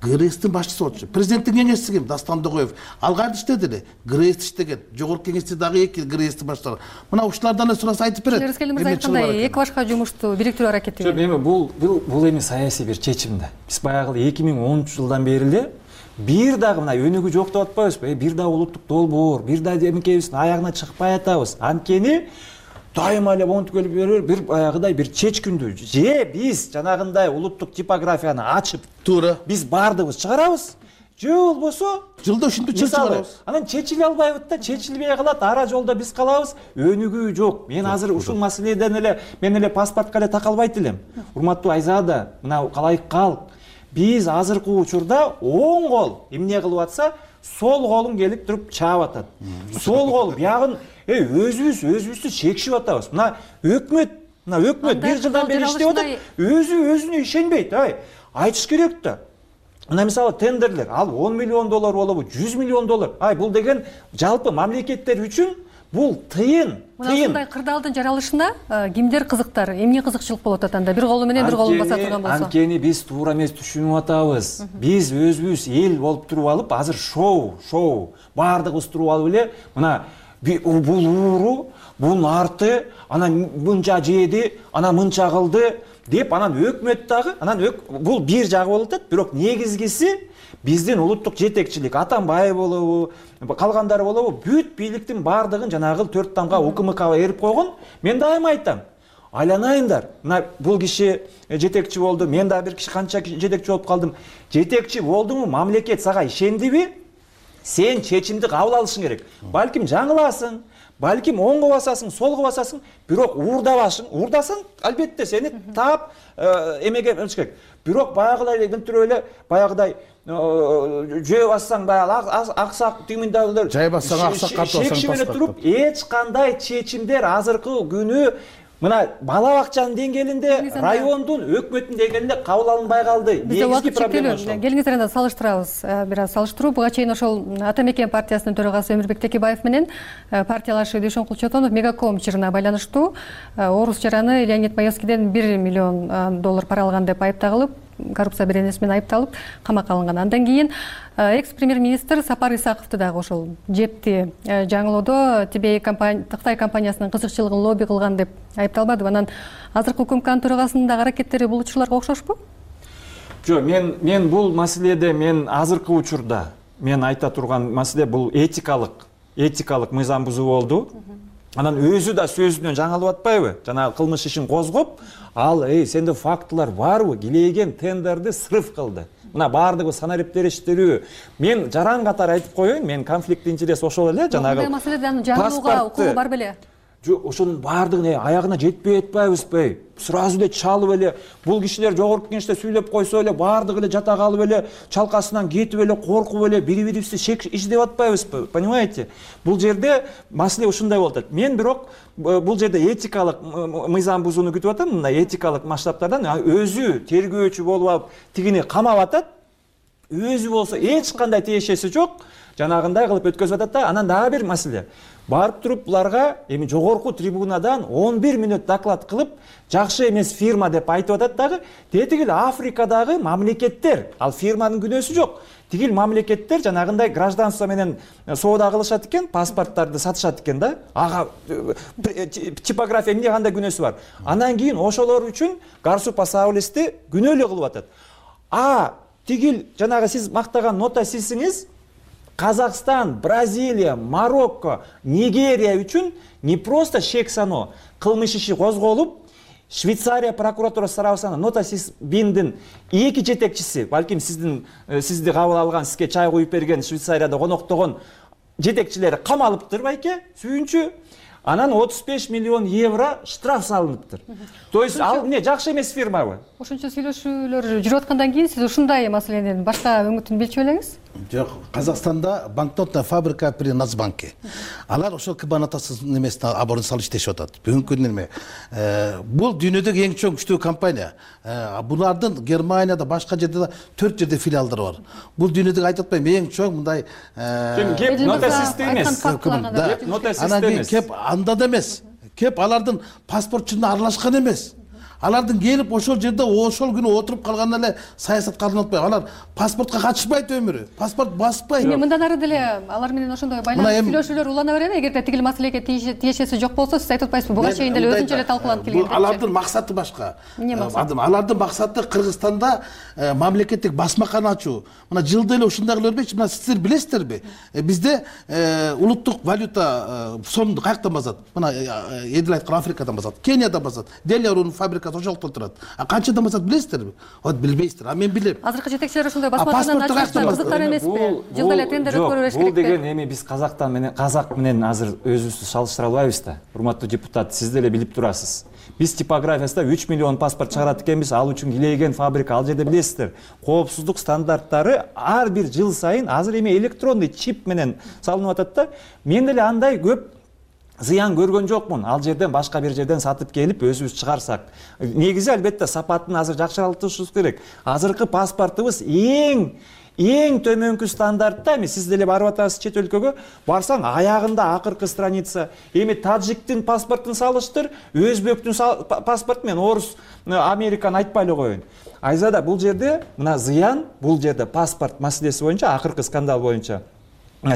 ГРСтин башчысы болчу. Президенттин кеңешчиси ким? Дастан Догоев. Ал кантип иштеди эле? ГРС иштеген. Жогорку кеңеште дагы эки ГРСтин баштары. Мына ушулардан эле сураса айтып берет. Рыскелди мырза айткандай, эки башка жумушту бириктирүү аракети. Жок, эми бул бул эми саясий бир чечим да. Биз баягы эки миң онунчу жылдан бери эле бир дагы мына өнүгүү жок деп атпайбызбы? Бир дагы улуттук долбоор, бир дагы эмкебиздин аягына чыкпай атабыз. Анткени дайыма эле монтип келип берер, бир баягыдай бир чечкиндүү же биз жанагындай улуттук типографияны ачып туура биз баардыгыбыз чыгарабыз, же болбосо жылда ушинтип чечип чыгарабыз. Анан чечиле албайбыз да, чечилбей калат, ара жолдо биз калабыз, өнүгүү жок. Мен азыр ушул маселеден эле мен эле паспортко эле такалбайт элем. Урматтуу Айзада, мына калайык калк. Биз азыркы учурда оң кол эмне кылып атса, сол колуң келип туруп чаап атат. Сол кол биягын эй өзүбүз өзүбүздү чекишип атабыз. Мына өкмөт, мына өкмөт бир жылдан бери иштеп атат, өзү өзүнө ишенбейт. Ай, айтыш керек да. Мына мисалы тендерлер, ал он миллион доллар болобу, жүз миллион доллар. Ай, бул деген жалпы мамлекеттер үчүн бул тыйын, тыйын. Мына ушундай кырдаалдын жаралышына кимдер кызыктар, эмне кызыкчылык болот атанда? Бир колу менен бир колун баса турган болсо. Анткени биз туура эмес түшүнүп атабыз. Биз өзүбүз эл болуп туруп алып, азыр шоу, шоу баардыгыбыз туруп алып эле, мына бул ууру, бунун арты, анан мынча жеди, анан мынча кылды деп анан өкмөт дагы, анан бул бир жагы болуп атат, бирок негизгиси биздин улуттук жетекчилик, Атамбаев болобу, калгандары болобу, бүт бийликтин баардыгын жанагы төрт тамга УКМКга эрип койгон. Мен дайыма айтам, айланайындар. Мына бул киши жетекчи болду, мен дагы бир киши канча жетекчи болуп калдым. Жетекчи болдуңбу, мамлекет сага ишендиби? Сен чечимди кабыл алышың керек. Балким жаңыласың, балким оңго басасың, солго басасың, бирок уурдабашың, уурдасаң, албетте сени таап эмеге алыш керек. Бирок баягыдай эле эле баягыдай жөө бассаң баягы аксак түймүндөгүлөр жай бассаң аксак картып алсаң чечим менен туруп эч кандай чечимдер азыркы күнү мына бала бакчанын деңгээлинде, райондун, өкмөттүн деңгээлинде кабыл алынбай калды. Негизги проблема ошол. Келиңиздер анда салыштырабыз. Бир аз салыштыруу. Буга чейин ошол Ата Мекен партиясынын төрагасы Өмүрбек Текебаев менен партиялашы Дүйшөн Кулчотонов Мегаком чырына байланыштуу орус жараны Леонид Маевскийден бир миллион доллар пара алган деп айыпталып, коррупция беренеси менен айыпталып, камакка алынган. Андан кийин экс-премьер-министр Сапар Исаковду дагы ошол жепти жаңылоодо Тибей компания, Кытай компаниясынын кызыкчылыгын лобби кылган деп айыпталбадыбы? Анан азыркы УКМКнын төрагасынын дагы аракеттери бул учурларга окшошпу? Жок, мен мен бул маселеде мен азыркы учурда мен айта турган маселе бул этикалык, этикалык мыйзам бузуу болду. Анан өзү да сөзүнөн жаңылып атпайбы? Жана кылмыш ишин козгоп, ал эй сенде фактылар барбы? Килеген тендерди срыв кылды. Мына баардыгы санарип териштирүү. Мен жаран катары айтып коеюн, мен конфликт интерес ошол эле жанагы. Бул маселеден жаңылууга укугу бар беле? Жок, ошонун баардыгын аягына жетпей атпайбызбы? Сразу эле чалып эле бул кишилер жогорку кеңеште сүйлөп койсо эле баардыгы эле жата калып эле чалкасынан кетип эле коркуп эле бири-бирибизди издеп атпайбызбы? Понимаете? Бул жерде маселе ушундай болуп атат. Мен бирок бул жерде этикалык мыйзам бузууну күтүп атам. Мына этикалык масштабтардан өзү тергөөчү болуп алып тигини камап атат. Өзү болсо эч кандай тиешеси жок. Жанагындай кылып өткөзүп атат да. Анан дагы бир маселе. Барып туруп буларга эми жогорку трибунадан он бир мүнөт доклад кылып, жакшы эмес фирма деп айтып атат дагы. Тетигил Африкадагы мамлекеттер, ал фирманын күнөөсү жок. Тигил мамлекеттер жанагындай гражданство менен соода кылышат экен, паспорттарды сатышат экен да. Ага типография эмне кандай күнөөсү бар. Андан кийин ошолор үчүн Гарсупа Саулисти күнөөлүү кылып атат. А тигил жанагы сиз мактаган нота сизсиңиз Казакстан, Бразилия, Марокко, Нигерия үчүн не просто шек сано кылмыш иши козголуп, Швейцария прокуратурасы тарабынан нота сиз биндин эки жетекчиси, балким сиздин сизди кабыл алган, сизге чай куюп берген Швейцарияда коноктогон жетекчилери камалыптыр байке, сүйүнчү. Анан отуз беш миллион евро штраф салыныптыр. То есть ал эмне жакшы эмес фирмабы? Ошончо сүйлөшүүлөр жүрүп аткандан кийин сиз ушундай маселенин башка өңүтүн билчү белеңиз? Жок, Казакстанда банкнотная фабрика при Нацбанке. Алар ошол кабанатасыз немесине аборун салып иштешип атат. Бүгүнкү күндө эме бул дүйнөдөгү эң чоң күчтүү компания. Булардын Германияда, башка жерде да төрт жерде филиалдары бар. Бул дүйнөдөгү айтып атпайм, эң чоң мындай кеп нота система эмес. Нота система эмес. Кеп анда да эмес. Кеп алардын паспортчуна аралашкан эмес. алардын келип ошол жерде ошол күнү отуруп калган эле саясатка арналып атпайбы? Алар паспортко катышпайт өмүрү, паспорт баспайт. Эми мындан ары деле алар менен ошондой байланыш сүйлөшүүлөр улана береби? Эгерде тигил маселеге тиешеси жок болсо, сиз айтып атпайсызбы? Буга чейин деле өзүнчө эле талкууланып келген. Алардын максаты башка. Алардын максаты Кыргызстанда мамлекеттик басмакана ачуу. Мына жылда эле ушундай кылып бербейчи? Мына сиздер билесиздерби? Бизде улуттук валюта сомду каяктан басат? Мына Эдил айткан Африкадан басат, Кениядан басат. Делиярунун фабрикасы ошол жакта турат. А канчадан басат билесиздерби? Вот билбейсиздер. А мен билем. Азыркы жетекчилер ошондой басмакананы ачышса кызыктар эмеспи? Жылда эле тендер өткөрүп бериш керек. Бул деген эми биз казактан менен казак менен азыр өзүбүздү салыштыра албайбыз да. Урматтуу депутат, сиз деле билип турасыз. Биз типографиясында үч миллион паспорт чыгарат экенбиз, ал үчүн килейген фабрика ал жерде билесиздер. Коопсуздук стандарттары ар бир жыл сайын азыр эми электронный чип менен салынып атат да. Мен деле андай көп зыян көргөн жокмун. Ал жерден башка бир жерден сатып келип өзүбүз чыгарсак. Негизи албетте сапатын азыр жакшыртышыбыз керек. Азыркы паспортубуз эң эң төмөнкү стандартта. Эми сиз деле барып атасыз чет өлкөгө, барсаң аягында акыркы страница. Эми таджиктин паспортун салыштыр, өзбектин паспорту менен орус, американы айтпай эле коеюн. Айзада, бул жерде мына зыян, бул жерде паспорт маселеси боюнча, акыркы скандал боюнча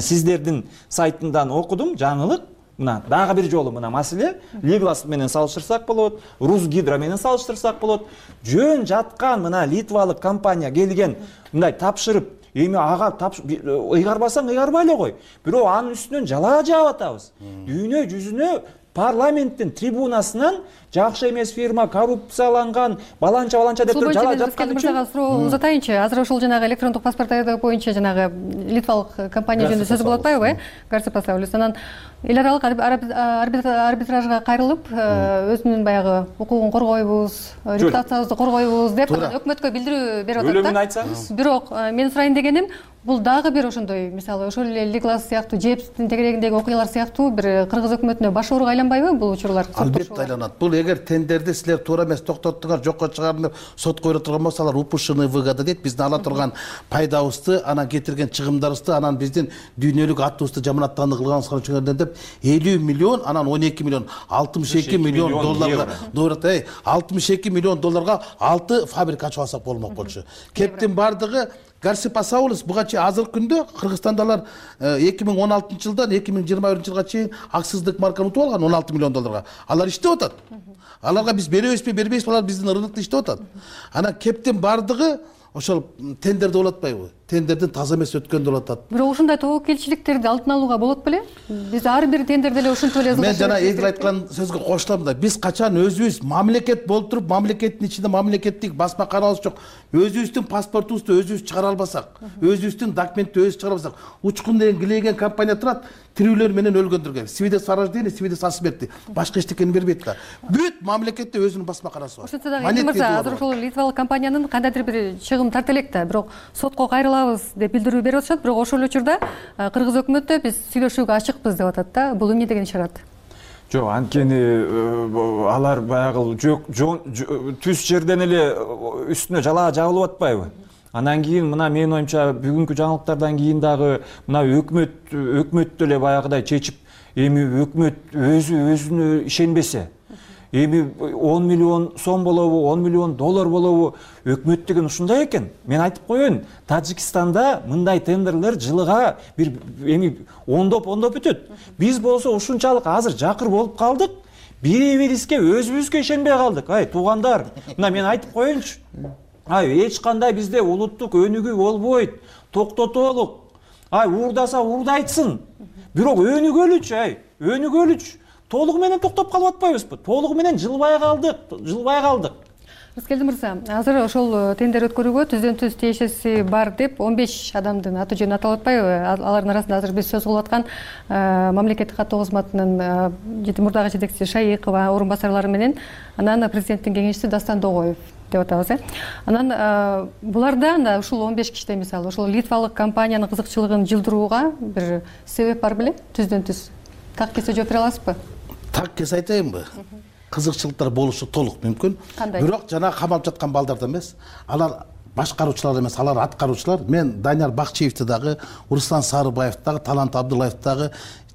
сиздердин сайтындан окудум, жаңылык. Мына дагы бир жолу мына маселе Лиглас менен салыштырсак болот, Русгидро менен салыштырсак болот. Жөн жаткан мына литвалык компания келген мындай тапшырып, эми ага ыйгарбасаң ыйгарбай эле кой. Бирок анын үстүнөн жалаа жаап атабыз. Дүйнө жүзүнө парламенттин трибунасынан жакшы эмес фирма, коррупцияланган, баланча баланча деп туруп жалаа жаткан үчүн суроо узатайынчы. Азыр ошол жанагы электрондук паспорт даярдоо боюнча жанагы литвалык компания жөнүндө сөз болуп атпайбы, э? Гарцепасаулус. Анан эл аралык арбитражга кайрылып, өзүнүн баягы укугун коргойбуз, репутациябызды коргойбуз деп өкмөткө билдирүү берип атат да. Өлүмүн айтсаңыз. Бирок мен сурайын дегеним, бул дагы бир ошондой, мисалы, ошол эле Лиглас сыяктуу, Джейпстин тегерегиндеги окуялар сыяктуу бир кыргыз өкмөтүнө баш ооруга айланбайбы бул учурлар? Албетте айланат. Бул эгер тендерди силер туура эмес токтоттуңар, жокко чыгардым деп сотко бере турган болсо, алар упушчный выгода дейт. Биздин ала турган пайдабызды, анан кетирген чыгымдарыбызды, анан биздин дүйнөлүк атыбызды жаманаттанды кылганыбызга үчүн деп элүү миллион, анан он эки миллион, алтымыш эки миллион долларга, doğru, алтымыш эки миллион долларга алты фабрика ачып алсак болмок болчу. Кептин бардыгы Гарцепасаулус буга чейин азыркы күндө Кыргызстанда алар эки миң он алтынчы жылдан эки миң жыйырма биринчи жылга чейин аксыздык марканы утуп алган он алты миллион долларга. Алар иштеп атат. Аларга биз беребизби, бербейбизби, алар биздин рынокто иштеп атат. Анан кептин бардыгы ошол тендерде болот атпайбы? Тендерден таза эмес өткөндө болот атат. Бирок ушундай тобокелчиликтерди алдын алууга болот беле? Биз ар бир тендерде эле ушинтип эле Мен жана Эдил айткан сөзгө кошулам да. Биз качан өзүбүз мамлекет болуп туруп, мамлекеттин ичинде мамлекеттик басмаканабыз жок. Өзүбүздүн паспортубузду өзүбүз чыгара албасак, өзүбүздүн документти өзүбүз чыгара албасак, учкун деген килейген компания турат, тирүүлөр менен өлгөндүргөн. Свидетельство о рождении, свидетельство о смерти. Башка эчтекени бербейт да. Бүт мамлекетте өзүнүн басмаканасы бар. Ошентсе дагы Эдил мырза, азыр ошол литвалык компаниянын кандайдыр бир чыгым тарта элек да, бирок сотко кайрылабыз деп билдирүү берип атышат, бирок ошол учурда кыргыз өкмөтү биз сүйлөшүүгө ачыкпыз деп атат да. Бул эмне деген ишарат? Жок, анткени алар баягы жок түз жерден эле үстүнө жалаа жабылып атпайбы? Анан кийин мына менин оюмча бүгүнкү жаңылыктардан кийин дагы мына өкмөт өкмөт деле баягыдай чечип, эми өкмөт өзү өзүнө ишенбесе, эми он миллион сом болобу, он миллион доллар болобу, өкмөт деген ушундай экен. Мен айтып коеюн, Тажикстанда мындай тендерлер жылыга бир эми ондоп ондоп өтөт. Биз болсо ушунчалык азыр жакыр болуп калдык, бири-бирибизге өзүбүзгө ишенбей калдык. Ай, туугандар, мына мен айтып коеюнчу. Ай, эч кандай бизде улуттук өнүгүү болбойт. Токтотолук. Ай, уурдаса уурдайтсын. Бирок өнүгөлүчү, ай, өнүгөлүчү. Толугу менен токтоп калып атпайбызбы? Толугу менен жылбай калдык, жылбай калдык. Рыскелди мырза, азыр ошол тендер өткөрүүгө түздөн түз тиешеси бар деп он беш адамдын аты жөнү аталып атпайбы? Алардын арасында азыр биз сөз кылып аткан мамлекеттик каттоо кызматынын мурдагы жетекчиси Шайыкова, орун басарлары менен, анан президенттин кеңешчиси Дастан Догоев деп атабыз, э. Анан буларда ушул он беш кишиде мисалы ошол литвалык компаниянын кызыкчылыгын жылдырууга бир себеп бар беле? Түздөн түз так кесе жооп бере аласызбы? Так кесе айтайынбы? Кызыкчылыктар болушу толук мүмкүн. Бирок жана камалып жаткан балдарда эмес, алар башкаруучулар эмес, алар аткаруучулар. Мен Данияр Бакчиевди дагы, Руслан Сарыбаевди дагы, Талант Абдуллаевди дагы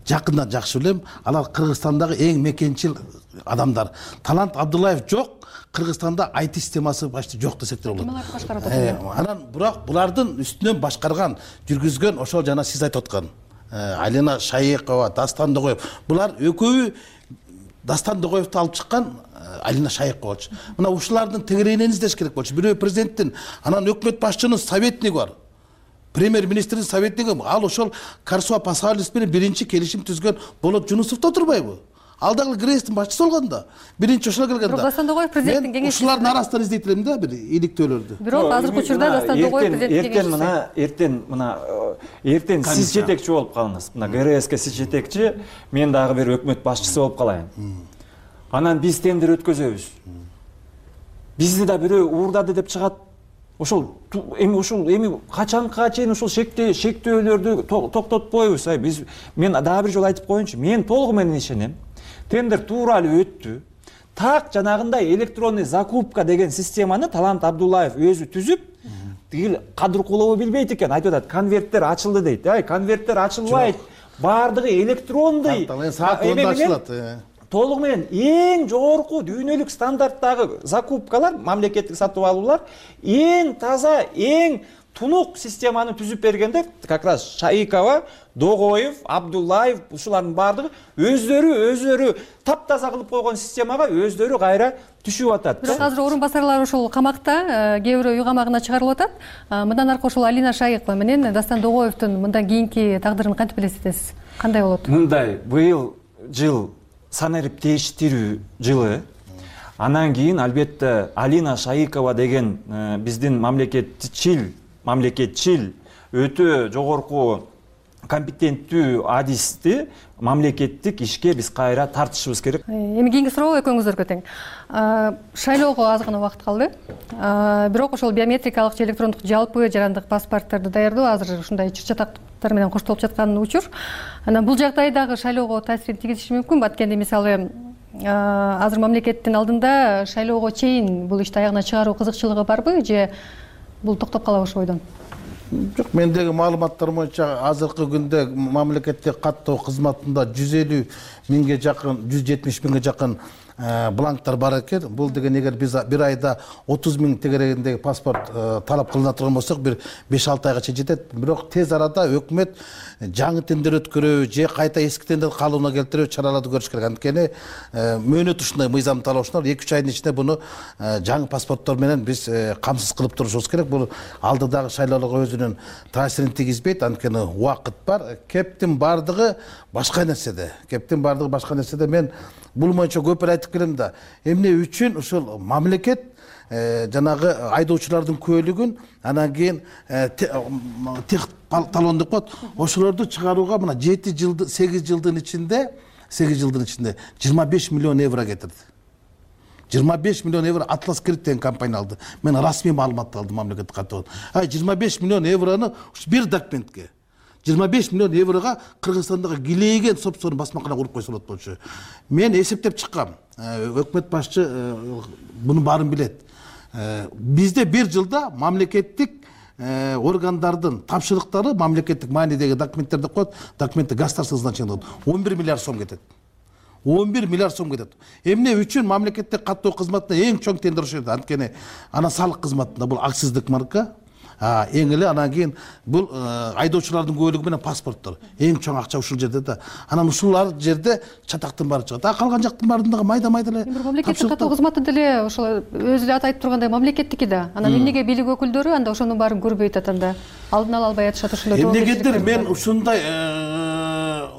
жакындан жакшы билем. Алар Кыргызстандагы эң мекенчил адамдар. Талант Абдуллаев жок, Кыргызстанда ай ти системасы почти жок десек де болот. Анан бирок булардын үстүнөн башкарган, жүргүзгөн ошол жана сиз айтып аткан Алина Шайыкова, Дастан Догоев. Булар экөөбү Дастан Догоевду алып чыккан Алина Шайыкова болчу. Мына ушулардын тегерегинен издеш керек болчу. Бирөө президенттин, анан өкмөт башчынын советниги бар. Премьер-министрдин советниги, ал ошол Карсуа Пасалис менен биринчи келишим түзгөн Болот Жунусовдо турбайбы? Ал дагы ГРЭСтин башчысы болгондо, биринчи ошол келгенде. Дастан Догоев президенттин кеңешчиси. Ушулардын арасынан издейт элем да, бир иликтөөлөрдү. Бирок азыркы учурда Дастан Догоев президенттин кеңешчиси. Эртең мына, эртең мына, эртең сиз жетекчи болуп калыңыз. Мына ГРЭСке сиз жетекчи, мен дагы бир өкмөт башчысы болуп калайын. Анан биз тендер өткөзөбүз. Бизди да бирөө уурдады деп чыгат. Ошол эми ушул эми качанга чейин ушул шектөө шектөөлөрдү токтотпойбуз. Биз мен дагы бир жолу айтып коеюнчу, мен толугу менен ишенем. Тендер туура эле өттү. Так жанагындай электронный закупка деген системаны Талант Абдуллаев өзү түзүп, тигил Кадыркулова билбейт экен, айтып атат, конверттер ачылды дейт. Ай, конверттер ачылбайт. Бардыгы электрондой. Эми ачылат. Толугу менен эң жогорку дүйнөлүк стандарттагы закупкалар, мамлекеттик сатып алуулар эң таза, эң тунук системаны түзүп бергенде, как раз Шайыкова, Догоев, Абдуллаев ушулардын бардыгы өздөрү өздөрү таптаза кылып койгон системага өздөрү кайра түшүп атат. Бирок азыр орун басарлар ошол камакта, кээ бирөө үй камагына чыгарылып атат. Мындан аркы ошол Алина Шайыкова менен Дастан Догоевдун мындан кийинки тагдырын кантип элестетесиз? Кандай болот? Мындай, быйыл жыл санарип тештирүү жылы. Анан кийин албетте Алина Шайыкова деген биздин мамлекетчил, мамлекетчил өтө жогорку компетенттүү адисти мамлекеттик ишке биз кайра тартышыбыз керек. Эми кийинки суроо экөөңүздөргө тең. Шайлоого аз гана убакыт калды. Бирок ошол биометрикалык же электрондук жалпы жарандык паспортторду даярдоо азыр ушундай чыр-чатактар менен коштолуп жаткан учур. Анан бул жагдай дагы шайлоого таасирин тийгизиши мүмкүн. Анткени мисалы азыр мамлекеттин алдында шайлоого чейин бул ишти аягына чыгаруу кызыкчылыгы барбы же бул токтоп калабы ошол бойдон? Жок, мендеги маалыматтар боюнча азыркы күндө мамлекеттик каттоо кызматында жүз элүү миңге жакын, жүз жетимиш миңге жакын бланктар бар экен. Бул деген эгер биз бир айда отуз миң тегерегиндеги паспорт талап кылына турган болсок, бир беш алты айга чейин жетет. Бирок тез арада өкмөт жаңы тендер өткөрүү же кайта эски тендер калыбына келтирүү чараларды көрүш керек. Анткени мөөнөт ушундай мыйзам талаушунар эки үч айдын ичинде буну жаңы паспорттор менен биз камсыз кылып турушубуз керек. Бул алдыдагы шайлоолорго өзүнүн таасирин тийгизбейт. Анткени убакыт бар. Кептин бардыгы башка нерседе. Кептин бардыгы башка нерседе. Мен бул боюнча көп айтып келем да. Эмне үчүн ушул мамлекет жанагы айдоочулардын көөлүгүн анан кийин тех талон деп коет. Ошолорду чыгарууга мына жети жылды, сегиз жылдын ичинде, сегиз жылдын ичинде жыйырма беш миллион евро кетирди. жыйырма беш миллион евро Атлас Кредит деген компания алды. Мен расмий маалыматты алдым мамлекеттик каттоо. Ай жыйырма беш миллион еврону бир документке жыйырма беш миллион еврога Кыргызстандагы килейген собственно басмакана куруп койсо болот болчу. Мен эсептеп чыккам. Өкмөт башчы буну баарын билет. Бизде бир жылда мамлекеттик органдардын тапшырыктары, мамлекеттик маанидеги документтер деп коет, документти государственный значение он бир миллиард сом кетет. он бир миллиард сом кетет. Эмне үчүн мамлекеттик каттоо кызматына эң чоң тендер ошол. Анткени анан салык кызматында бул акциздик марка, эң эле анан кийин бул айдоочулардын көөлүгү менен паспорттор. Эң чоң акча ушул жерде да. Анан ушулар жерде чатактын баары чыгат. А калган жактын баарындагы майда-майда эле. Бир мамлекеттик каттоо кызматы деле ошол өзү эле атайт тургандай мамлекеттики да. Анан эмнеге бийлик өкүлдөрү анда ошонун баарын көрбөй атат, алдын ала албай атышат ошондой. Эмнегедир мен ушундай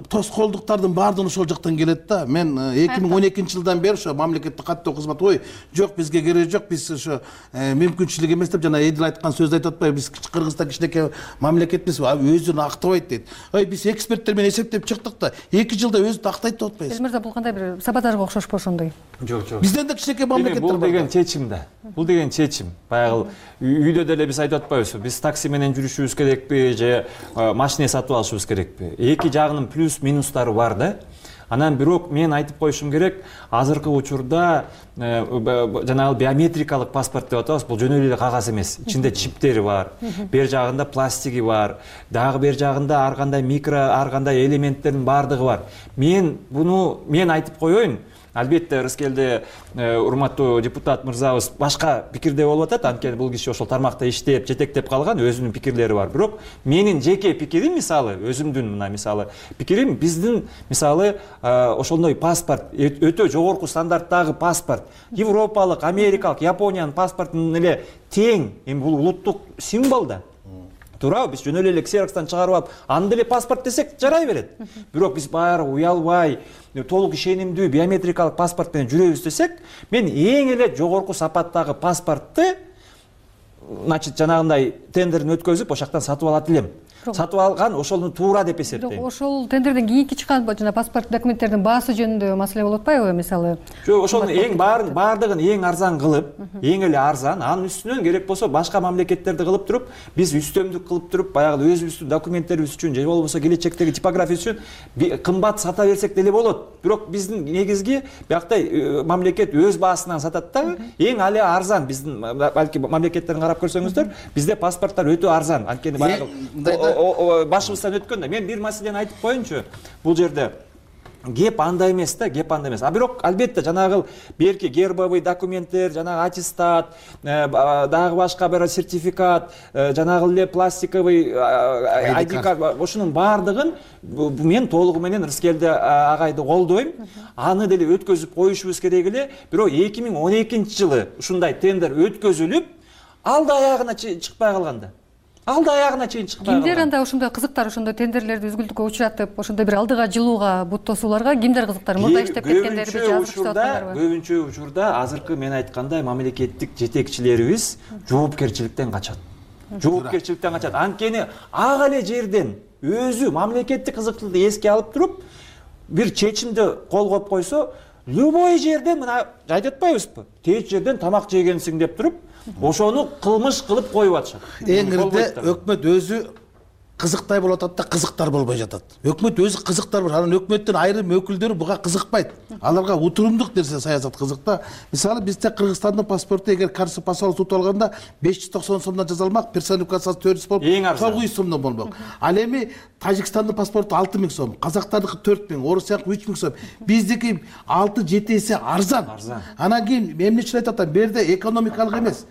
тоскоолдуктардын баардыгы ошол жактан келет да. Мен эки миң он экинчи жылдан бери ошо мамлекеттик каттоо кызматы ой жок, бизге кереги жок, биз ошо мүмкүнчүлүк эмес деп жана Эдил айткан сөздү айтып атпайбы, биз Кыргызстан кичинекей мамлекетпиз, өзүн актабайт дейт. Ой биз эксперттер менен эсептеп чыктык да эки жылда өзүн актайт деп атпайбыз. Мырза, бул кандай бир саботажга окшошпу ошондой? Жок, жок. Бизден да кичинекей мамлекеттер бар. Бул деген чечим да. Бул деген чечим. Баягы үйдө деле биз айтып атпайбызбы, биз такси менен жүрүшүбүз керекпи же машина сатып алышыбыз керекпи? Эки жагынын плюс минустары бар да. Анан бирок мен айтып коюшум керек, азыркы учурда жанагы биометрикалык паспорт деп атабыз, бул жөн эле кагаз эмес. Ичинде чиптери бар, бер жагында пластиги бар, дагы бер жагында ар кандай микро, ар кандай элементтердин баардыгы бар. Мен буну мен айтып коеюн. Албетте Рыскелде урматтуу депутат мырзабыз башка пикирде болуп атат, анткени бул киши ошол тармакта иштеп, жетектеп калган, өзүнүн пикирлери бар. Бирок менин жеке пикирим, мисалы, өзүмдүн мына мисалы пикирим, биздин мисалы ошондой паспорт, өтө жогорку стандарттагы паспорт, европалык, америкалык, Япониянын паспортунун эле тең, эми бул улуттук символ да. Туурабы, биз жөн эле ксерокстан чыгарып алып, аны деле паспорт десек жарай берет. Бирок биз баары уялбай, толук ишенимдүү биометрикалык паспорт менен жүрөбүз десек, мен эң эле жогорку сапаттагы паспортты, значит, жанагындай тендерин өткөзүп, ошол жактан сатып алат элем. Сатып алган ошону туура деп эсептейм. Ошол тендерден кийинки чыккан жана паспорт документтердин баасы жөнүндө маселе болуп атпайбы, мисалы? Жок, ошонун эң баарын баардыгын эң арзан кылып, эң эле арзан, анын үстүнөн керек болсо башка мамлекеттерди кылып туруп, биз үстөмдүк кылып туруп, баягы өзүбүздүн документтерибиз үчүн же болбосо келечектеги типография үчүн кымбат сата берсек деле болот. Бирок биздин негизги бияктай мамлекет өз баасынан сатат да, эң эле арзан биздин балки мамлекеттерин карап көрсөңүздөр, бизде паспорттор өтө арзан. Анткени баягы башыбыздан өткөн да. Мен бир маселени айтып коеюнчу. Бул жерде кеп андай эмес да, кеп андай эмес. А бирок албетте жанагы берки гербовый документтер, жанагы аттестат, дагы башка бир сертификат, жанагы эле пластиковый ай ди карт, ошонун баардыгын мен толугу менен Рыскелде агайды колдойм. Аны деле өткөзүп коюшубуз керек эле. Бирок эки миң он экинчи жылы ушундай тендер өткөзүлүп, алды аягына чыкпай калганда. Алды аягына чейин чыкпай калган. Кимдер анда ошондой кызыктар, ошондой тендерлерди үзгүлтүккө учуратып, ошондой бир алдыга жылууга бут тосууларга кимдер кызыктар? Мурда иштеп кеткендерби, жазып иштеп көбүнчө учурда азыркы мен айткандай мамлекеттик жетекчилерибиз жоопкерчиликтен качат. Жоопкерчиликтен качат. Анткени ак эле жерден өзү мамлекеттик кызыкчылыкты эске алып туруп, бир чечимди кол коюп койсо, любой жерден мына айтып атпайбызбы? Тез жерден тамак жегенсиң деп туруп, ошону кылмыш кылып коюп атышат. Эң ирде өкмөт өзү кызыктай болуп атат да, кызыктар болбой жатат. Өкмөт өзү кызыктар бар, анан өкмөттүн айрым өкүлдөрү буга кызыкпайт. Аларга утурумдук нерсе саясат кызыкта. Мисалы бизде Кыргызстандын паспорту эгер каршы паспорт сутуп алганда беш жүз токсон сомдон жазалмак, персонификациясы төрт жүз болуп, тогуз жүз сомдон болмок. Ал эми Тажикстандын паспорту алты миң сом, Казактардыкы төрт миң, Орусияныкы үч миң сом. Биздики алты жети эсе арзан. Анан кийин эмне үчүн айтып атам? Берде экономикалык эмес,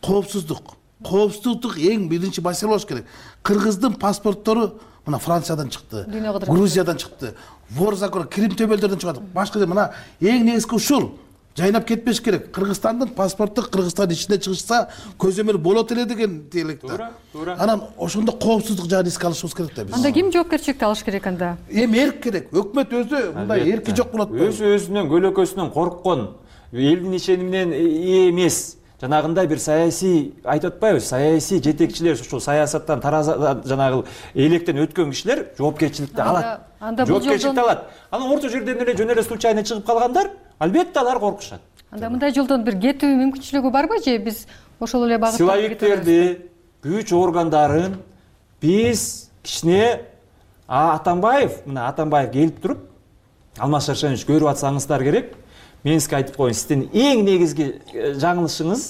коопсуздук. Коопсуздук эң биринчи маселе болуш керек. Кыргыздын паспорттору мына Франциядан чыкты, Грузиядан чыкты, вор закон, Крим төбөлдөрдөн чыгат. Башка мына эң негизги ушул. Жайнап кетпеш керек. Кыргызстандын паспорту Кыргызстан ичинде чыгышса көзөмөл болот эле деген тилекте. Туура, туура. Анан ошондо коопсуздук жагын эске алышыбыз керек да биз. Анда ким жоопкерчиликти алыш керек анда? Эми эрк керек. Өкмөт өзү мындай эрки жок болот. Өзү өзүнөн көлөкөсүнөн корккон, элдин ишениминен эмес. Жанагындай бир саясий айтып атпайбыз, саясий жетекчилер, ушул саясаттан тараза жанагы электен өткөн кишилер жоопкерчиликти алат. Жоопкерчиликти алат. Анан орто жерден эле жөн эле случайно чыгып калгандар, албетте алар коркушат. Анда мындай жолдон бир кетүү мүмкүнчүлүгү барбы же биз ошол эле багытта силовиктерди, күч органдарын биз кичине Атамбаев, мына Атамбаев келип туруп, Алмаз Шаршенович көрүп атсаңыздар керек. Мен сизге айтып коеюн, сиздин эң негизги жаңылышыңыз,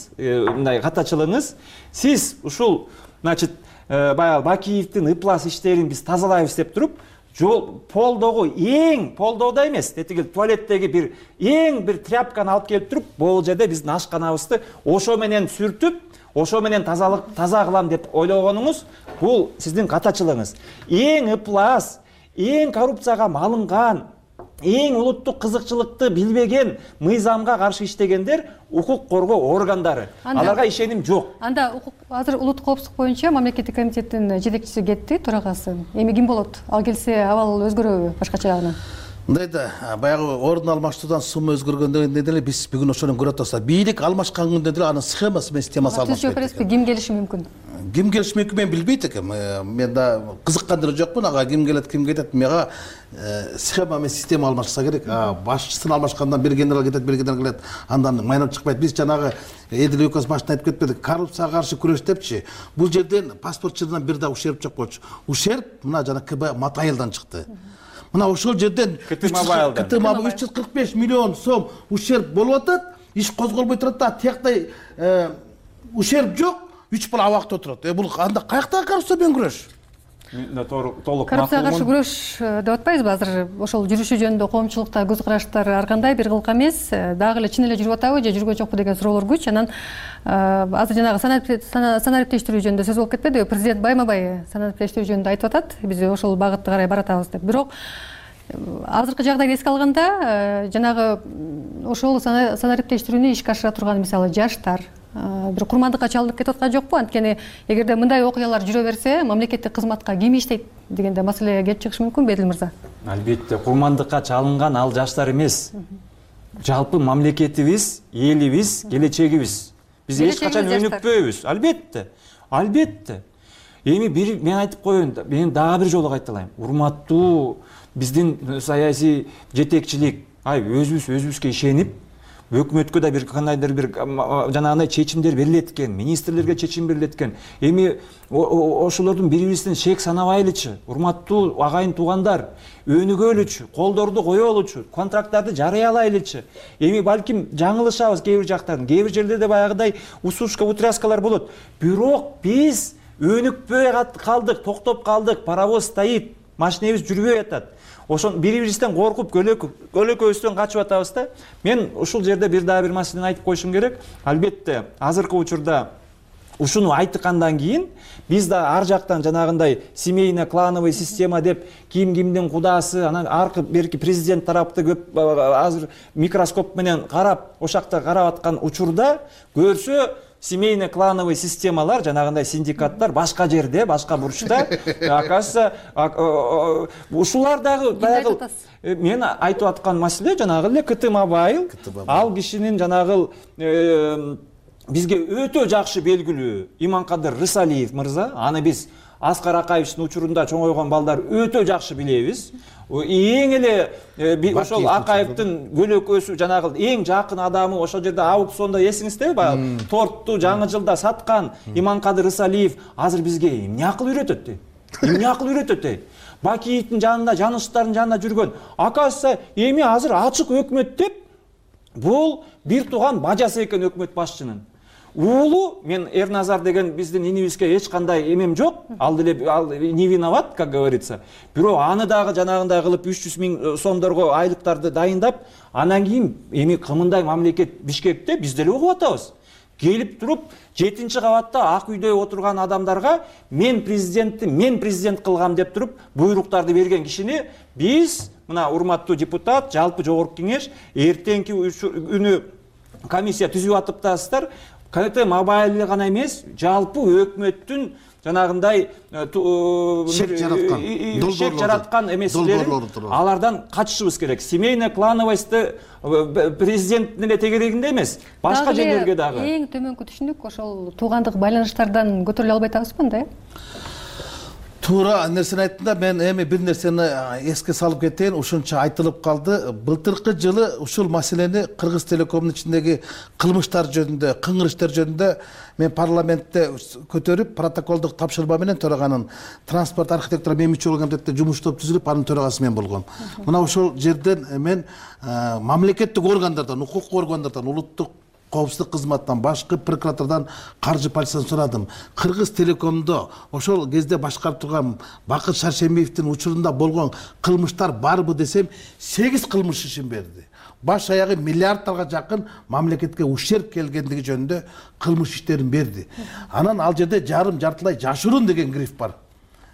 мындай катачылыгыңыз, сиз ушул, значит, баягы Бакиевдин ыплас иштерин биз тазалайбыз деп туруп, жол полдогу эң полдоодо эмес, тетиги туалеттеги бир эң бир тряпканы алып келип туруп, бул жерде биздин ашканабызды ошо менен сүртүп, ошо менен тазалык таза кылам деп ойлогонуңуз, бул сиздин катачылыгыңыз. Эң ыплас, эң коррупцияга малынган, эң улуттук кызыкчылыкты билбеген, мыйзамга каршы иштегендер укук коргоо органдары. Аларга ишеним жок. Анда азыр улуттук коопсуздук боюнча мамлекеттик комитеттин жетекчиси кетти, төрагасы. Эми ким болот? Ал келсе абал өзгөрөбү башкача жагынан? Мындай да, баягы ордун алмаштыруудан сумма өзгөргөндөн деле биз бүгүн ошону көрүп атабыз. Бийлик алмашкан күндө деле анын схемасы менен системасы алмашпайт. Ким келиши мүмкүн? Ким келиши мүмкүн мен билбейт экенм. Мен да кызыккан деле жокмун. Ага ким келет, ким кетет. Мага схема менен система алмашса керек. Башчысын алмашкандан бир генерал кетет, бир генерал келет. Андан майнап чыкпайт. Биз жанагы Эдил Өкөз башында айтып кетпедик. Коррупцияга каршы күрөш депчи. Бул жерден паспортчылардан бир да ушерп жок болчу. Ушерп мына жана КБ Матайылдан чыкты. мына ошол жерден КТ Мобайлда КТ Мобайл үч жүз кырк беш миллион сом ушерб болуп атат, иш козголбой турат да, тияктай ушерб жок, үч бала абакта отурат. Э бул анда каяктагы коррупция менен күрөш? Толук коррупцияга каршы күрөш деп атпайбызбы? Азыр ошол жүрүшү жөнүндө коомчулукта көз караштар ар кандай, бир кылка эмес, дагы эле чын эле жүрүп атабы же жүргөн жокпу деген суроолор күч. Анан азыр жанагы санариптештирүү жөнүндө сөз болуп кетпедиби? Президент байма-бай санариптештирүү жөнүндө айтып атат, биз ошол багытты карай баратабыз деп. Бирок азыркы жагдайды эске алганда, жанагы ошол санариптештирүүнү ишке ашыра турган мисалы жаштар бир курмандыкка чалынып кетип аткан жокпу? Анткени эгерде мындай окуялар жүрө берсе, мамлекеттик кызматка ким иштейт дегенде маселе келип чыгышы мүмкүн, Бедил мырза. Албетте, курмандыкка чалынган ал жаштар эмес. Жалпы мамлекетибиз, элибиз, келечегибиз. Биз эч качан өнүкпөйбүз. Албетте. Албетте. Эми бир мен айтып коеюн, мен дагы бир жолу кайталайм. Урматтуу биздин саясий жетекчилик, ай өзүбүз өзүбүзгө ишенип, өкмөткө да бир кандайдыр бир жанагындай чечимдер берилет экен, министрлерге чечим берилет экен. Эми ошолордун бири-бирибизден шек санабайлычы, урматтуу агайын туугандар, өнүгөлүчү, колдорду коелучу, контракттарды жарыялайлычы. Эми балким жаңылышабыз кээ бир жактардан, кээ бир жерлерде баягыдай усушка, утряскалар болот. Бирок биз өнүкпөй калдык, токтоп калдык, паровоз стоит, машинебиз жүрбөй атат. Ошон бири-бирибизден коркуп, көлөкөбүздөн качып атабыз да. Мен ушул жерде бир дагы бир маселени айтып коюшум керек. Албетте, азыркы учурда ушуну айткандан кийин биз да ар жактан жанагындай семейный клановый система деп ким кимдин кудасы, анан аркы берки президент тарапты көп азыр микроскоп менен карап, ошакта карап аткан учурда көрсө семейный клановый системалар, жанагындай синдикаттар башка жерде, башка бурчта, оказывается, ушулар дагы баягы мен айтып аткан маселе жанагы эле КТ Мобайл, ал кишинин жанагы бизге өтө жакшы белгилүү Иманкадыр Рысалиев мырза, аны биз Аскар Акаевичтин учурунда чоңойгон балдар өтө жакшы билебиз. Эң эле ошол Акаевдин көлөкөсү жанагы эң жакын адамы ошол жерде аукционда эсиңиздеби, баягы торту жаңы жылда саткан Иманкадыр Рысалиев азыр бизге эмне акыл үйрөтөт? Эмне акыл үйрөтөт? Бакиевдин жанында, жаныштардын жанында жүргөн. Оказывается, эми азыр ачык өкмөт деп бул бир тууган бажасы экен өкмөт башчынын. Уулу, мен Эрназар деген биздин инибизге эч кандай эмем жок, ал деле ал не виноват, как говорится. Бирок аны дагы жанагындай кылып үч жүз миң сомдорго айлыктарды дайындап, анан кийин эми кымындай мамлекет Бишкекте биз деле угуп атабыз. Келип туруп, жетинчи кабатта ак үйдө отурган адамдарга мен президентти, мен президент кылгам деп туруп, буйруктарды берген кишини биз, мына урматтуу депутат, жалпы жогорку кеңеш эртеңки күнү комиссия түзүп атыптасыздар. КТ Мобайлы гана эмес, жалпы өкмөттүн жанагындай шек жараткан эмеселерин алардан качышыбыз керек. Семейный клановость президенттин эле тегерегинде эмес, башка жерлерге дагы. Эң төмөнкү түшүнүк ошол туугандык байланыштардан көтөрүлө албай атабызбы да? Туура нерсени айттыңда, мен эми бир нерсени эске салып кетейин, ушунча айтылып калды. Былтыркы жылы ушул маселени Кыргыз Телекомдун ичиндеги кылмыштар жөнүндө, кыңгыр иштер жөнүндө мен парламентте көтөрүп, протоколдук тапшырма менен төраганын транспорт архитектура мемичилик комитетте жумуш топ түзүлүп, анын төрагасы мен болгом. Мына ошол жерден мен мамлекеттик органдардан, укук органдардан, улуттук коопсуздук кызматтан, башкы прокуратурадан, каржы полициядан сурадым. Кыргыз Телекомдо ошол кезде башкарып турган Бакыт Шаршембиевдин учурунда болгон кылмыштар барбы десем, сегиз кылмыш ишин берди. Баш аягы миллиардтарга жакын мамлекетке ушерб келгендиги жөнүндө кылмыш иштерин берди. Анан ал жерде жарым жартылай жашыруун деген гриф бар.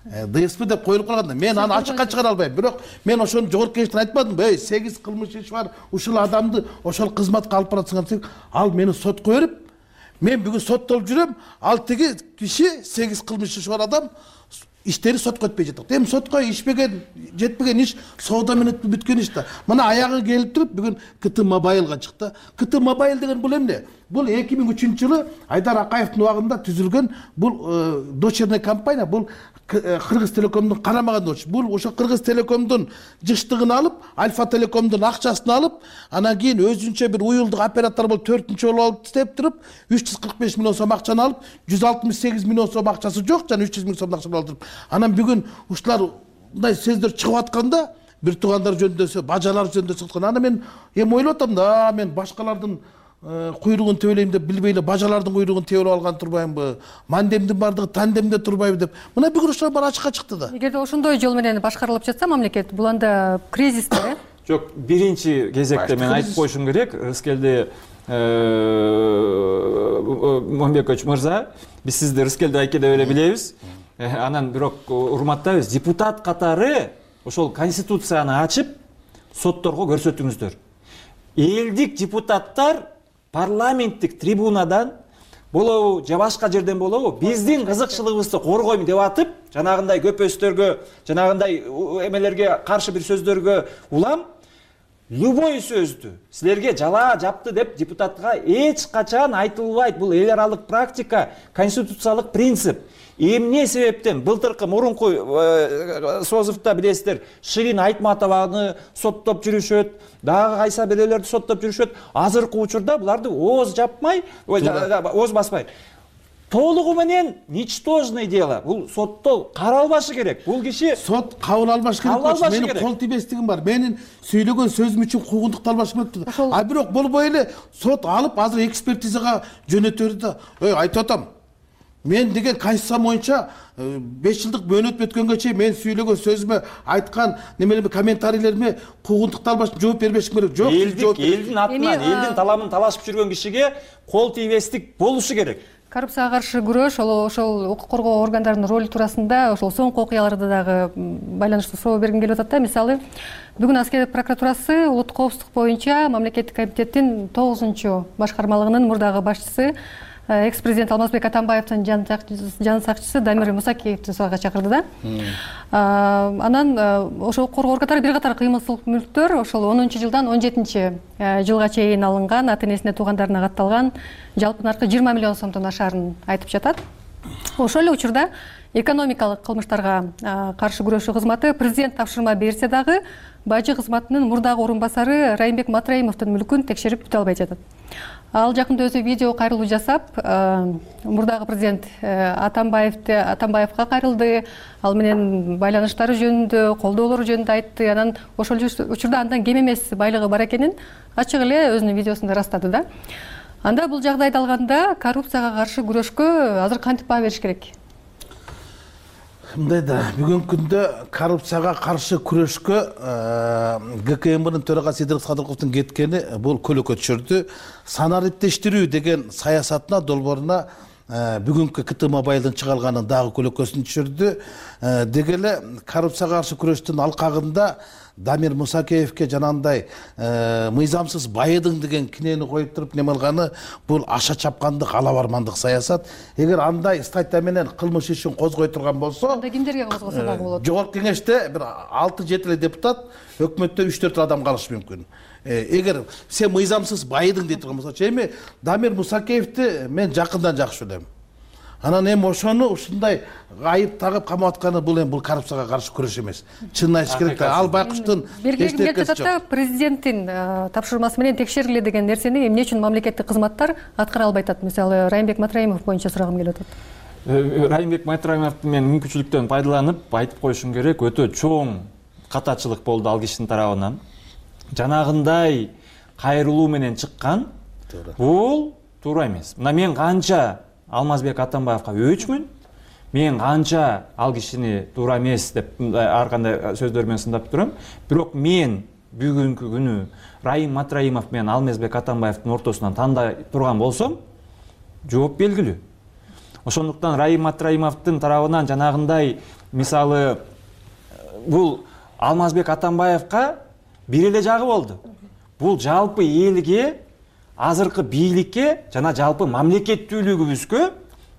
ДСП деп коюлуп калганда мен аны ачыкка чыгара албайм. Бирок мен ошону жогорку кеңештен айтпадымбы? Эй, сегиз кылмыш иш бар, ушул адамды ошол кызматка алып барасыңар. Ал мени сотко берип, мен бүгүн соттолуп жүрөм, ал тиги киши сегиз кылмыш иши бар адам иштери сотко өтпөй жатат. Эми сотко ишпеген, жетпеген иш соода менен бүткөн иш да. Мына аягы келип туруп бүгүн КТ Мобайлга чыкты. КТ Мобайл деген бул эмне? Бул эки миң үчүнчү жылы Айдар Акаевдин убагында түзүлгөн бул дочерный компания, бул Кыргыз Телекомдун карамаган доч. Бул ошо Кыргыз Телекомдун жыштыгын алып, Альфа Телекомдун акчасын алып, анан кийин өзүнчө бир уюлдук оператор болуп төртүнчү жолу алып иштеп туруп, үч жүз кырк беш миллион сом акчаны алып, жүз алтымыш сегиз миллион сом акчасы жок, жана үч жүз миң сом акчаны алып туруп. Анан бүгүн ушулар мындай сөздөр чыгып атканда, бир туугандар жөнүндө, бажалар жөнүндө чыккан. Аны мен эми ойлоп атам да, мен башкалардын куйругун тебелейм деп билбей эле бажалардын куйругун тебелеп алган турбаймынбы, мандемдин бардыгы тандемде турбайбы деп. Мына бүгүн ушулар баары ачыкка чыкты да. Эгерде ошондой жол менен башкарылып жатса мамлекет, бул анда кризисте, э? Жок, биринчи кезекте мен айтып коюшум керек, Рыскелди Момбекович мырза, биз сизди Рыскелди айке деп эле билебиз. Анан бирок урматтайбыз, депутат катары ошол конституцияны ачып, сотторго көрсөтүңүздөр. Элдик депутаттар парламенттик трибунадан болобу же башка жерден болобу биздин кызыкчылыгыбызды коргойм деп атып, жанагындай көпөстөргө, жанагындай эмелерге каршы бир сөздөргө улам, любой сөздү силерге жала жапты деп депутатка эч качан айтылбайт. Бул эл аралык практика, конституциялык принцип. Эмне себептен былтыркы мурунку созувда билесиздер, Ширин Айтматованы соттоп жүрүшөт, дагы кайса бирөөлөрдү соттоп жүрүшөт. Азыркы учурда буларды ооз жапмай, ооз баспай. Толугу менен ничтожное дело. Бул сотто каралбашы керек. Бул киши сот кабыл албаш керек. Менин кол тийбестигим бар. Менин сүйлөгөн сөзүм үчүн куугунтукталбаш керек. А бирок болбой эле сот алып азыр экспертизага жөнөтөрдү да. Ой, айтып атам. Мен деген конституция боюнча беш жылдык мөөнөт өткөнгө чейин мен сүйлөгөн сөзүмө айткан немелерме комментарийлериме куугунтукталбаш жооп бербешим керек. Жок, элдик, элдин атынан, элдин таламын талашып жүргөн кишиге кол тийбестик болушу керек. Коррупцияга каршы күрөш, ошол укук коргоо органдарынын ролу туурасында ошол соңку окуяларда дагы байланыштуу суроо бергим келип атат да. Мисалы, бүгүн аскер прокуратурасы улуттук коопсуздук боюнча мамлекеттик комитеттин тогузунчу башкармалыгынын мурдагы башчысы экс-президент Алмазбек Атамбаевдин жан сакчысы Дамир Мусакеевди суга чакырды да. Анан ошол коргоо органдары бир катар кыймылчыл мүлктөр ошол онунчу жылдан он жетинчи жылга чейин алынган, ата-энесине, туугандарына катталган жалпы наркы жыйырма миллион сомдон ашаарын айтып жатат. Ошол эле учурда экономикалык кылмыштарга каршы күрөшүү кызматы президент тапшырма берсе дагы бажы кызматынын мурдагы орун басары Райымбек Матраимовдун мүлкүн текшерип бүтө албай жатат. Ал жакында өзү видео кайрылуу жасап, мурдагы президент Атамбаевди Атамбаевга кайрылды, ал менен байланыштары жөнүндө, колдоолору жөнүндө айтты. Анан ошол учурда андан кем эмес байлыгы бар экенин ачык эле өзүнүн видеосунда ырастады да. Анда бул жагдайды алганда коррупцияга каршы күрөшкө азыр кантип баа бериш керек? Мындай да, бүгүнкү күндө коррупцияга каршы күрөшкө ГКМБнын төрагасы Идрис Кадырковдун кеткени бул көлөкө түшүрдү. Санариптештирүү деген саясатына, долбооруна бүгүнкү КТ Мобайлдын чыгарылганын дагы көлөкөсүн түшүрдү. Деги эле коррупцияга каршы күрөштүн алкагында Дамир Мусакеевке жанагындай мыйзамсыз байыдың деген кинени коюп туруп неме кылганы бул аша чапкандык, ала бармандык саясат. Эгер андай статья менен кылмыш ишин козгой турган болсо, анда кимдерге козгосо дагы болот? Жогорку кеңеште бир алты жети эле депутат, өкмөттө үч төрт адам калышы мүмкүн. Эгер сен мыйзамсыз байыдың дейт турган болсо, эми Дамир Мусакеевди мен жакындан жакшы билем. Анан эми ошону ушундай айып тагып камап атканы бул эми бул коррупцияга каршы күрөш эмес. Чынын айтыш керек да, ал байкуштун эстекеси жок. Президенттин тапшырмасы менен текшериле деген нерсени эмне үчүн мамлекеттик кызматтар аткара албай атат? Мисалы, Райымбек Матраимов боюнча сурагым келип атат. Райымбек Матраимовдун мен мүмкүнчүлүктөн пайдаланып айтып коюшум керек, өтө чоң катачылык болду ал кишинин тарабынан. Жанагындай кайрылуу менен чыккан бул туура эмес. Мына мен канча Алмазбек Атамбаевга өчмүн, мен канча ал кишини туура эмес деп ар кандай сөздөр менен сындап турам. Бирок мен бүгүнкү күнү Райым Матраимов менен Алмазбек Атамбаевдин ортосунан тандай турган болсом, жооп белгилүү. Ошондуктан Райым Матраимовдун тарабынан жанагындай, мисалы, бул Алмазбек Атамбаевга бир эле жагы болду. Бул жалпы элге, азыркы бийликке жана жалпы мамлекеттүүлүгүбүзгө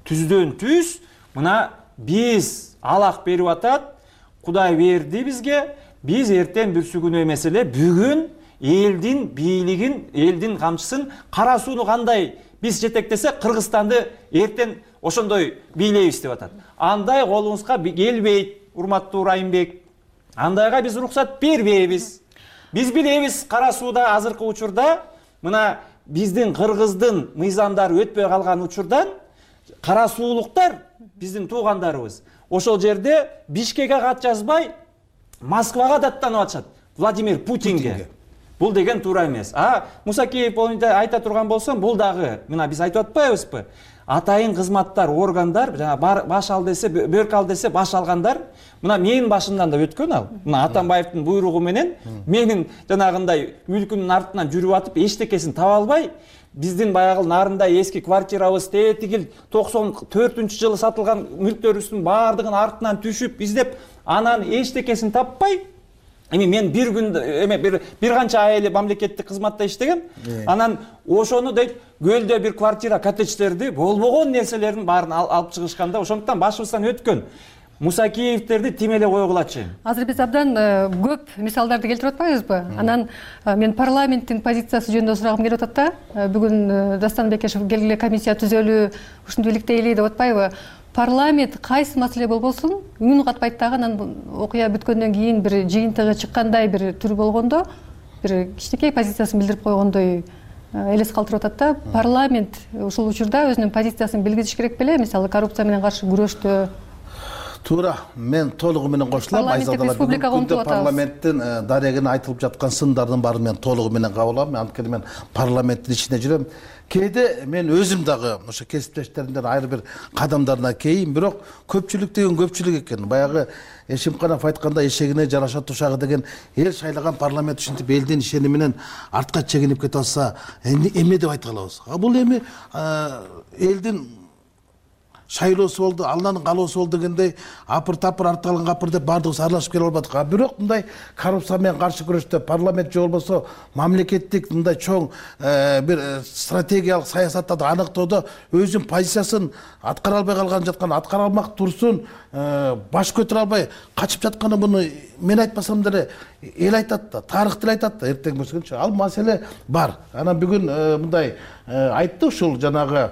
түздөн түз мына биз алак берип атат, Кудай берди бизге, биз эртең бүрсүгүнө эмес эле бүгүн элдин бийлигин, элдин камчысын, кара сууну кандай биз жетектесек Кыргызстанды эртең ошондой бийлейбиз деп атат. Андай колубузга келбейт, урматтуу Райымбек. Андайга биз уруксат бербейбиз. Биз билебиз, кара сууда азыркы учурда мына биздин Кыргыздын мыйзамдары өтпөй калган учурдан кара суулуктар биздин туугандарыбыз ошол жерде Бишкекке кат жазбай Москвага даттанып атышат. Владимир Путинге. Бул деген туура эмес. А Мусакеев айта турган болсом, бул дагы мына биз айтып атпайбызбы? Атайын кызматтар, органдар, жана баш ал десе, бөрк ал десе баш алгандар, мына менин башымдан да өткөн ал. Мына Атамбаевдин буйругу менен менин жанагындай мүлкүнүн артынан жүрүп атып, эчтекесин таба албай, биздин баягы нарындай эски квартирабыз тетигил токсон төртүнчү жылы сатылган мүлктөрүбүздүн баардыгын артынан түшүп, издеп, анан эчтекесин таппай, эми мен бир күн эме бир бир канча ай эле мамлекеттик кызматта иштегем. Анан ошону дейт, көлдө бир квартира, коттедждерди, болбогон нерселердин баарын алып чыгышканда, ошондуктан башыбыздан өткөн Мусакеевтерди тим эле койгулачы. Азыр биз абдан көп мисалдарды келтирип атпайбызбы? Анан мен парламенттин позициясы жөнүндө сурагым келип атат да. Бүгүн Дастан Бекешев келгиле комиссия түзөлүү ушинтип иликтейли деп атпайбы? Парламент кайсы маселе болбосун үн катпайт дагы, анан окуя бүткөндөн кийин бир жыйынтыгы чыккандай бир түр болгондо бир кичинекей позициясын билдирип койгондой элес калтырып атат да. Парламент ушул учурда өзүнүн позициясын билгизиш керек беле? Мисалы коррупция менен каршы күрөштө. Туура, мен толугу менен кошулам. Айзадалар, бүгүнкү парламенттин дарегине айтылып жаткан сындардын баарын мен толугу менен кабыл алам. Анткени мен парламенттин ичинде жүрөм. Кээде мен өзүм дагы ошо кесиптештеримден айры бир кадамдарына кейин, бирок көпчүлүк деген көпчүлүк экен. Баягы Эшимканов айтканда эшегине жараша тушагы деген эл шайлаган парламент ушинтип элдин ишени менен артка чегинип кете алса, эмне деп айта алабыз? А бул эми элдин шайлоосу болду, Алланын каалоосу болду дегендей апыр тапыр артка калган капыр деп баардыгыбыз аралашып келе албадык. А бирок мындай коррупция менен каршы күрөштө парламент же болбосо мамлекеттик мындай чоң бир стратегиялык саясатты аныктоодо өзүнүн позициясын аткара албай калган жаткан, аткара алмак турсун баш көтөрө албай качып жатканы муну мен айтпасам деле эл айтат да, тарых деле айтат да, эртең көрсөкөнчү. Ал маселе бар. Анан бүгүн мындай айтты ушул жанагы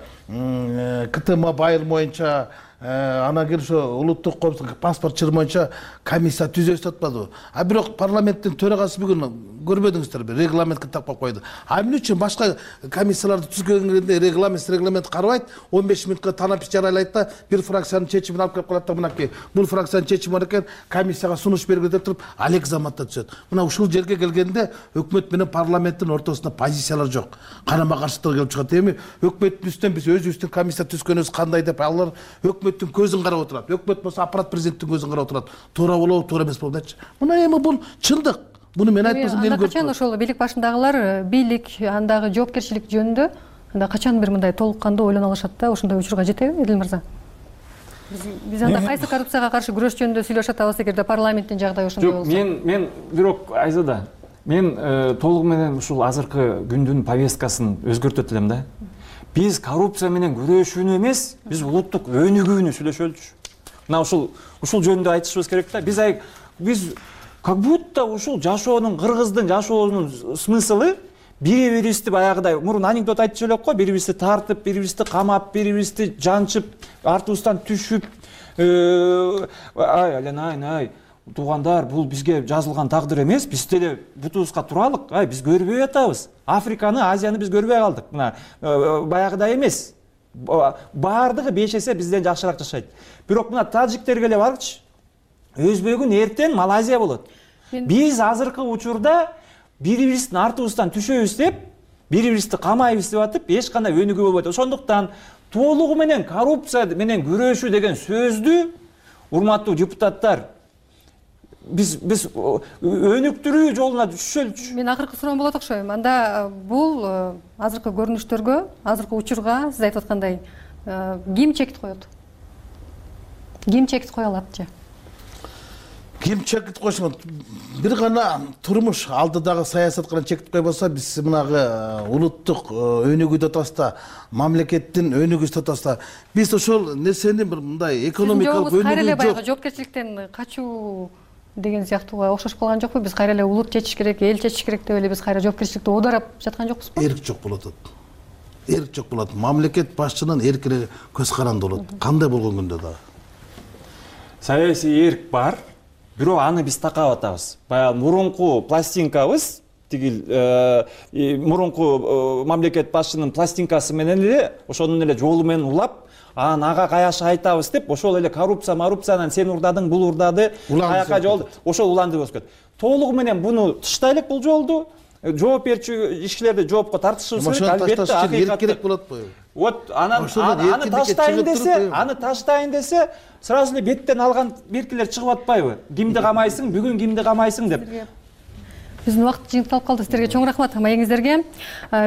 КТ Мобайл боюнча, анан кийин ошо улуттук коопсуздук паспорт чыры боюнча комиссия түзөбүз деп атпадыбы? А бирок парламенттин төрагасы бүгүн көрбөдүңүздөрбү, регламентке тапкап койду. А эмне үчүн башка комиссияларды түзгөнгөндө регламент регламент карабайт, он беш мүнөткө танап жарыялайт да, бир фракциянын чечимин алып келип коет да, мынакей бул фракциянын чечими бар экен, комиссияга сунуш бергиле деп туруп, алек заматта түзөт. Мына ушул жерге келгенде өкмөт менен парламенттин ортосунда позициялар жок. Карама каршылык келип чыгат. Эми өкмөттүн үстүнөн биз өзүбүздүн комиссия түзгөнүбүз кандай деп алар өкмөттүн көзүн карап отурат. Өкмөт болсо аппарат президенттин көзүн карап отурат. Туура болобу, туура эмес болобу дечи. Мына эми бул чындык. Буну мен айтпасам эл көрүп. Качан ошол бийлик башындагылар бийлик андагы жоопкерчилик жөнүндө анда качан бир мындай толук кандуу ойлоно алышат да, ошондой учурга жетеби, Эдил мырза? Биз анда кайсы коррупцияга каршы күрөш жөнүндө сүйлөшүп атабыз эгерде парламенттин жагдайы ошондой болсо? Жок, мен мен бирок Айзада, мен толугу менен ушул азыркы күндүн повесткасын өзгөртөт элем да. Биз коррупция менен күрөшүүнү эмес, биз улуттук өнүгүүнү сүйлөшөлүчү. Мына ушул ушул жөнүндө айтышыбыз керек да. Биз биз как будто ушул жашоонун, кыргыздын жашоонун смыслы бири-бирибизди баягыдай мурун анекдот айтчу элек го, бири-бирибизди тартып, бири-бирибизди камап, бири-бирибизди жанчып, артыбыздан түшүп, ай айланайын, ай туугандар, бул бизге жазылган тагдыр эмес, биз деле бутубузга туралык, ай биз көрбөй атабыз. Африканы, Азияны биз көрбөй калдык. Мына баягыдай эмес. Баардыгы беш эсе бизден жакшыраак жашайт. Бирок мына тажиктерге эле барчы. Өзбөгүн эртең Малайзия болот. Биз азыркы учурда бири-бирибиздин артыбыздан түшөбүз деп, бири-бирибизди камайбыз деп атып, эч кандай өнүгүү болбойт. Ошондуктан толугу менен коррупция менен күрөшүү деген сөздү, урматтуу депутаттар, биз биз өнүктүрүү жолуна түшөлүчү. Мен акыркы суроом болот окшойм. Анда бул азыркы көрүнүштөргө, азыркы учурга сиз айтып аткандай ким чекит коет? Ким чекит кое алат же? Ким чекит койсун? Бир гана турмуш алдыдагы саясат гана чекит койбосо, биз мынагы улуттук өнүгүүдө атабызда, мамлекеттин өнүгүүсү атабызда, биз ошол нерсени бир мындай экономикалык өнүгүү жок. Кайра эле баягы жоопкерчиликтен качуу деген сыяктууга окшош калган жокпу? Биз кайра эле улут чечиш керек, эл чечиш керек деп эле биз кайра жоопкерчиликти оодарап жаткан жокпузбу? Эрк жок болот. Эрк жок болот. Мамлекет башчынын эркине көз каранды болот. Кандай болгон күндө дагы. Саясий эрк бар. Бирок аны биз такап атабыз. Баягы мурунку пластинкабыз, тигил мурунку мамлекет башчынын пластинкасы менен эле, ошонун эле жолу менен улап, анан ага каяша айтабыз деп, ошол эле коррупция, коррупциянан сен урдадың, бул урдады, каяка жол, ошол уланды өскөт. толугу менен буну таштайлык бул жолду. Жооп берчү ишчилерди жоопко тартышыбыз керек. Албетте акыйкат керек болот го. Вот анан аны таштайын десе, аны таштайын десе, сразу эле беттен алган беркилер чыгып атпайбы? Кимди камайсың, бүгүн кимди камайсың деп. Биздин убакыт жыйынтылып калды. Сиздерге чоң рахмат маегиңиздерге.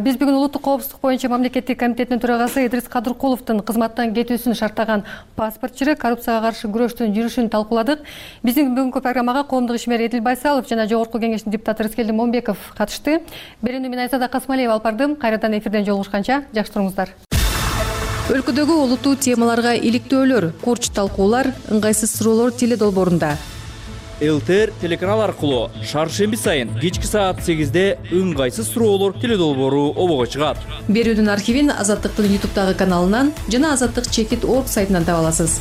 Биз бүгүн улуттук коопсуздук боюнча мамлекеттик комитеттин төрагасы Идрис Кадыркуловдун кызматтан кетүүсүн шарттаган паспортчу, коррупцияга каршы күрөштүн жүрүшүн талкууладык. Биздин бүгүнкү программага коомдук ишмер Эдил Байсалов жана жогорку кеңештин депутаты Рыскелди Момбеков катышты. Берүүнү мен Айзада Касмалиева алып бардым. Кайрадан эфирден жолугушканча жакшы туруңуздар. Өлкөдөгү олуттуу темаларга иликтөөлөр, курч талкуулар, ыңгайсыз суроолор теле долбоорунда. ЛТР телеканал аркылуу шаршемби сайын кечки саат сегизде ыңгайсыз суроолор теле долбоору обого чыгат. Берүүдүн архивин Азаттыктын ютубтагы каналынан жана азаттык чекит точка орг сайтынан таба аласыз.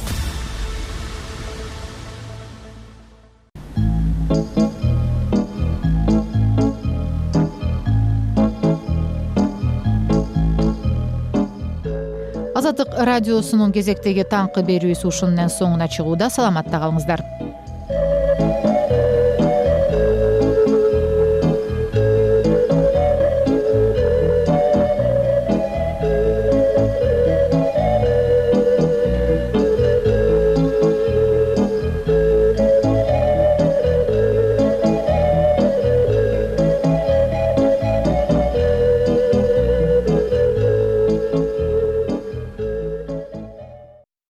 Азаттык радиосунун кезектеги таңкы берүүсү ушунун соңуна чыгууда. Саламатта калыңыздар.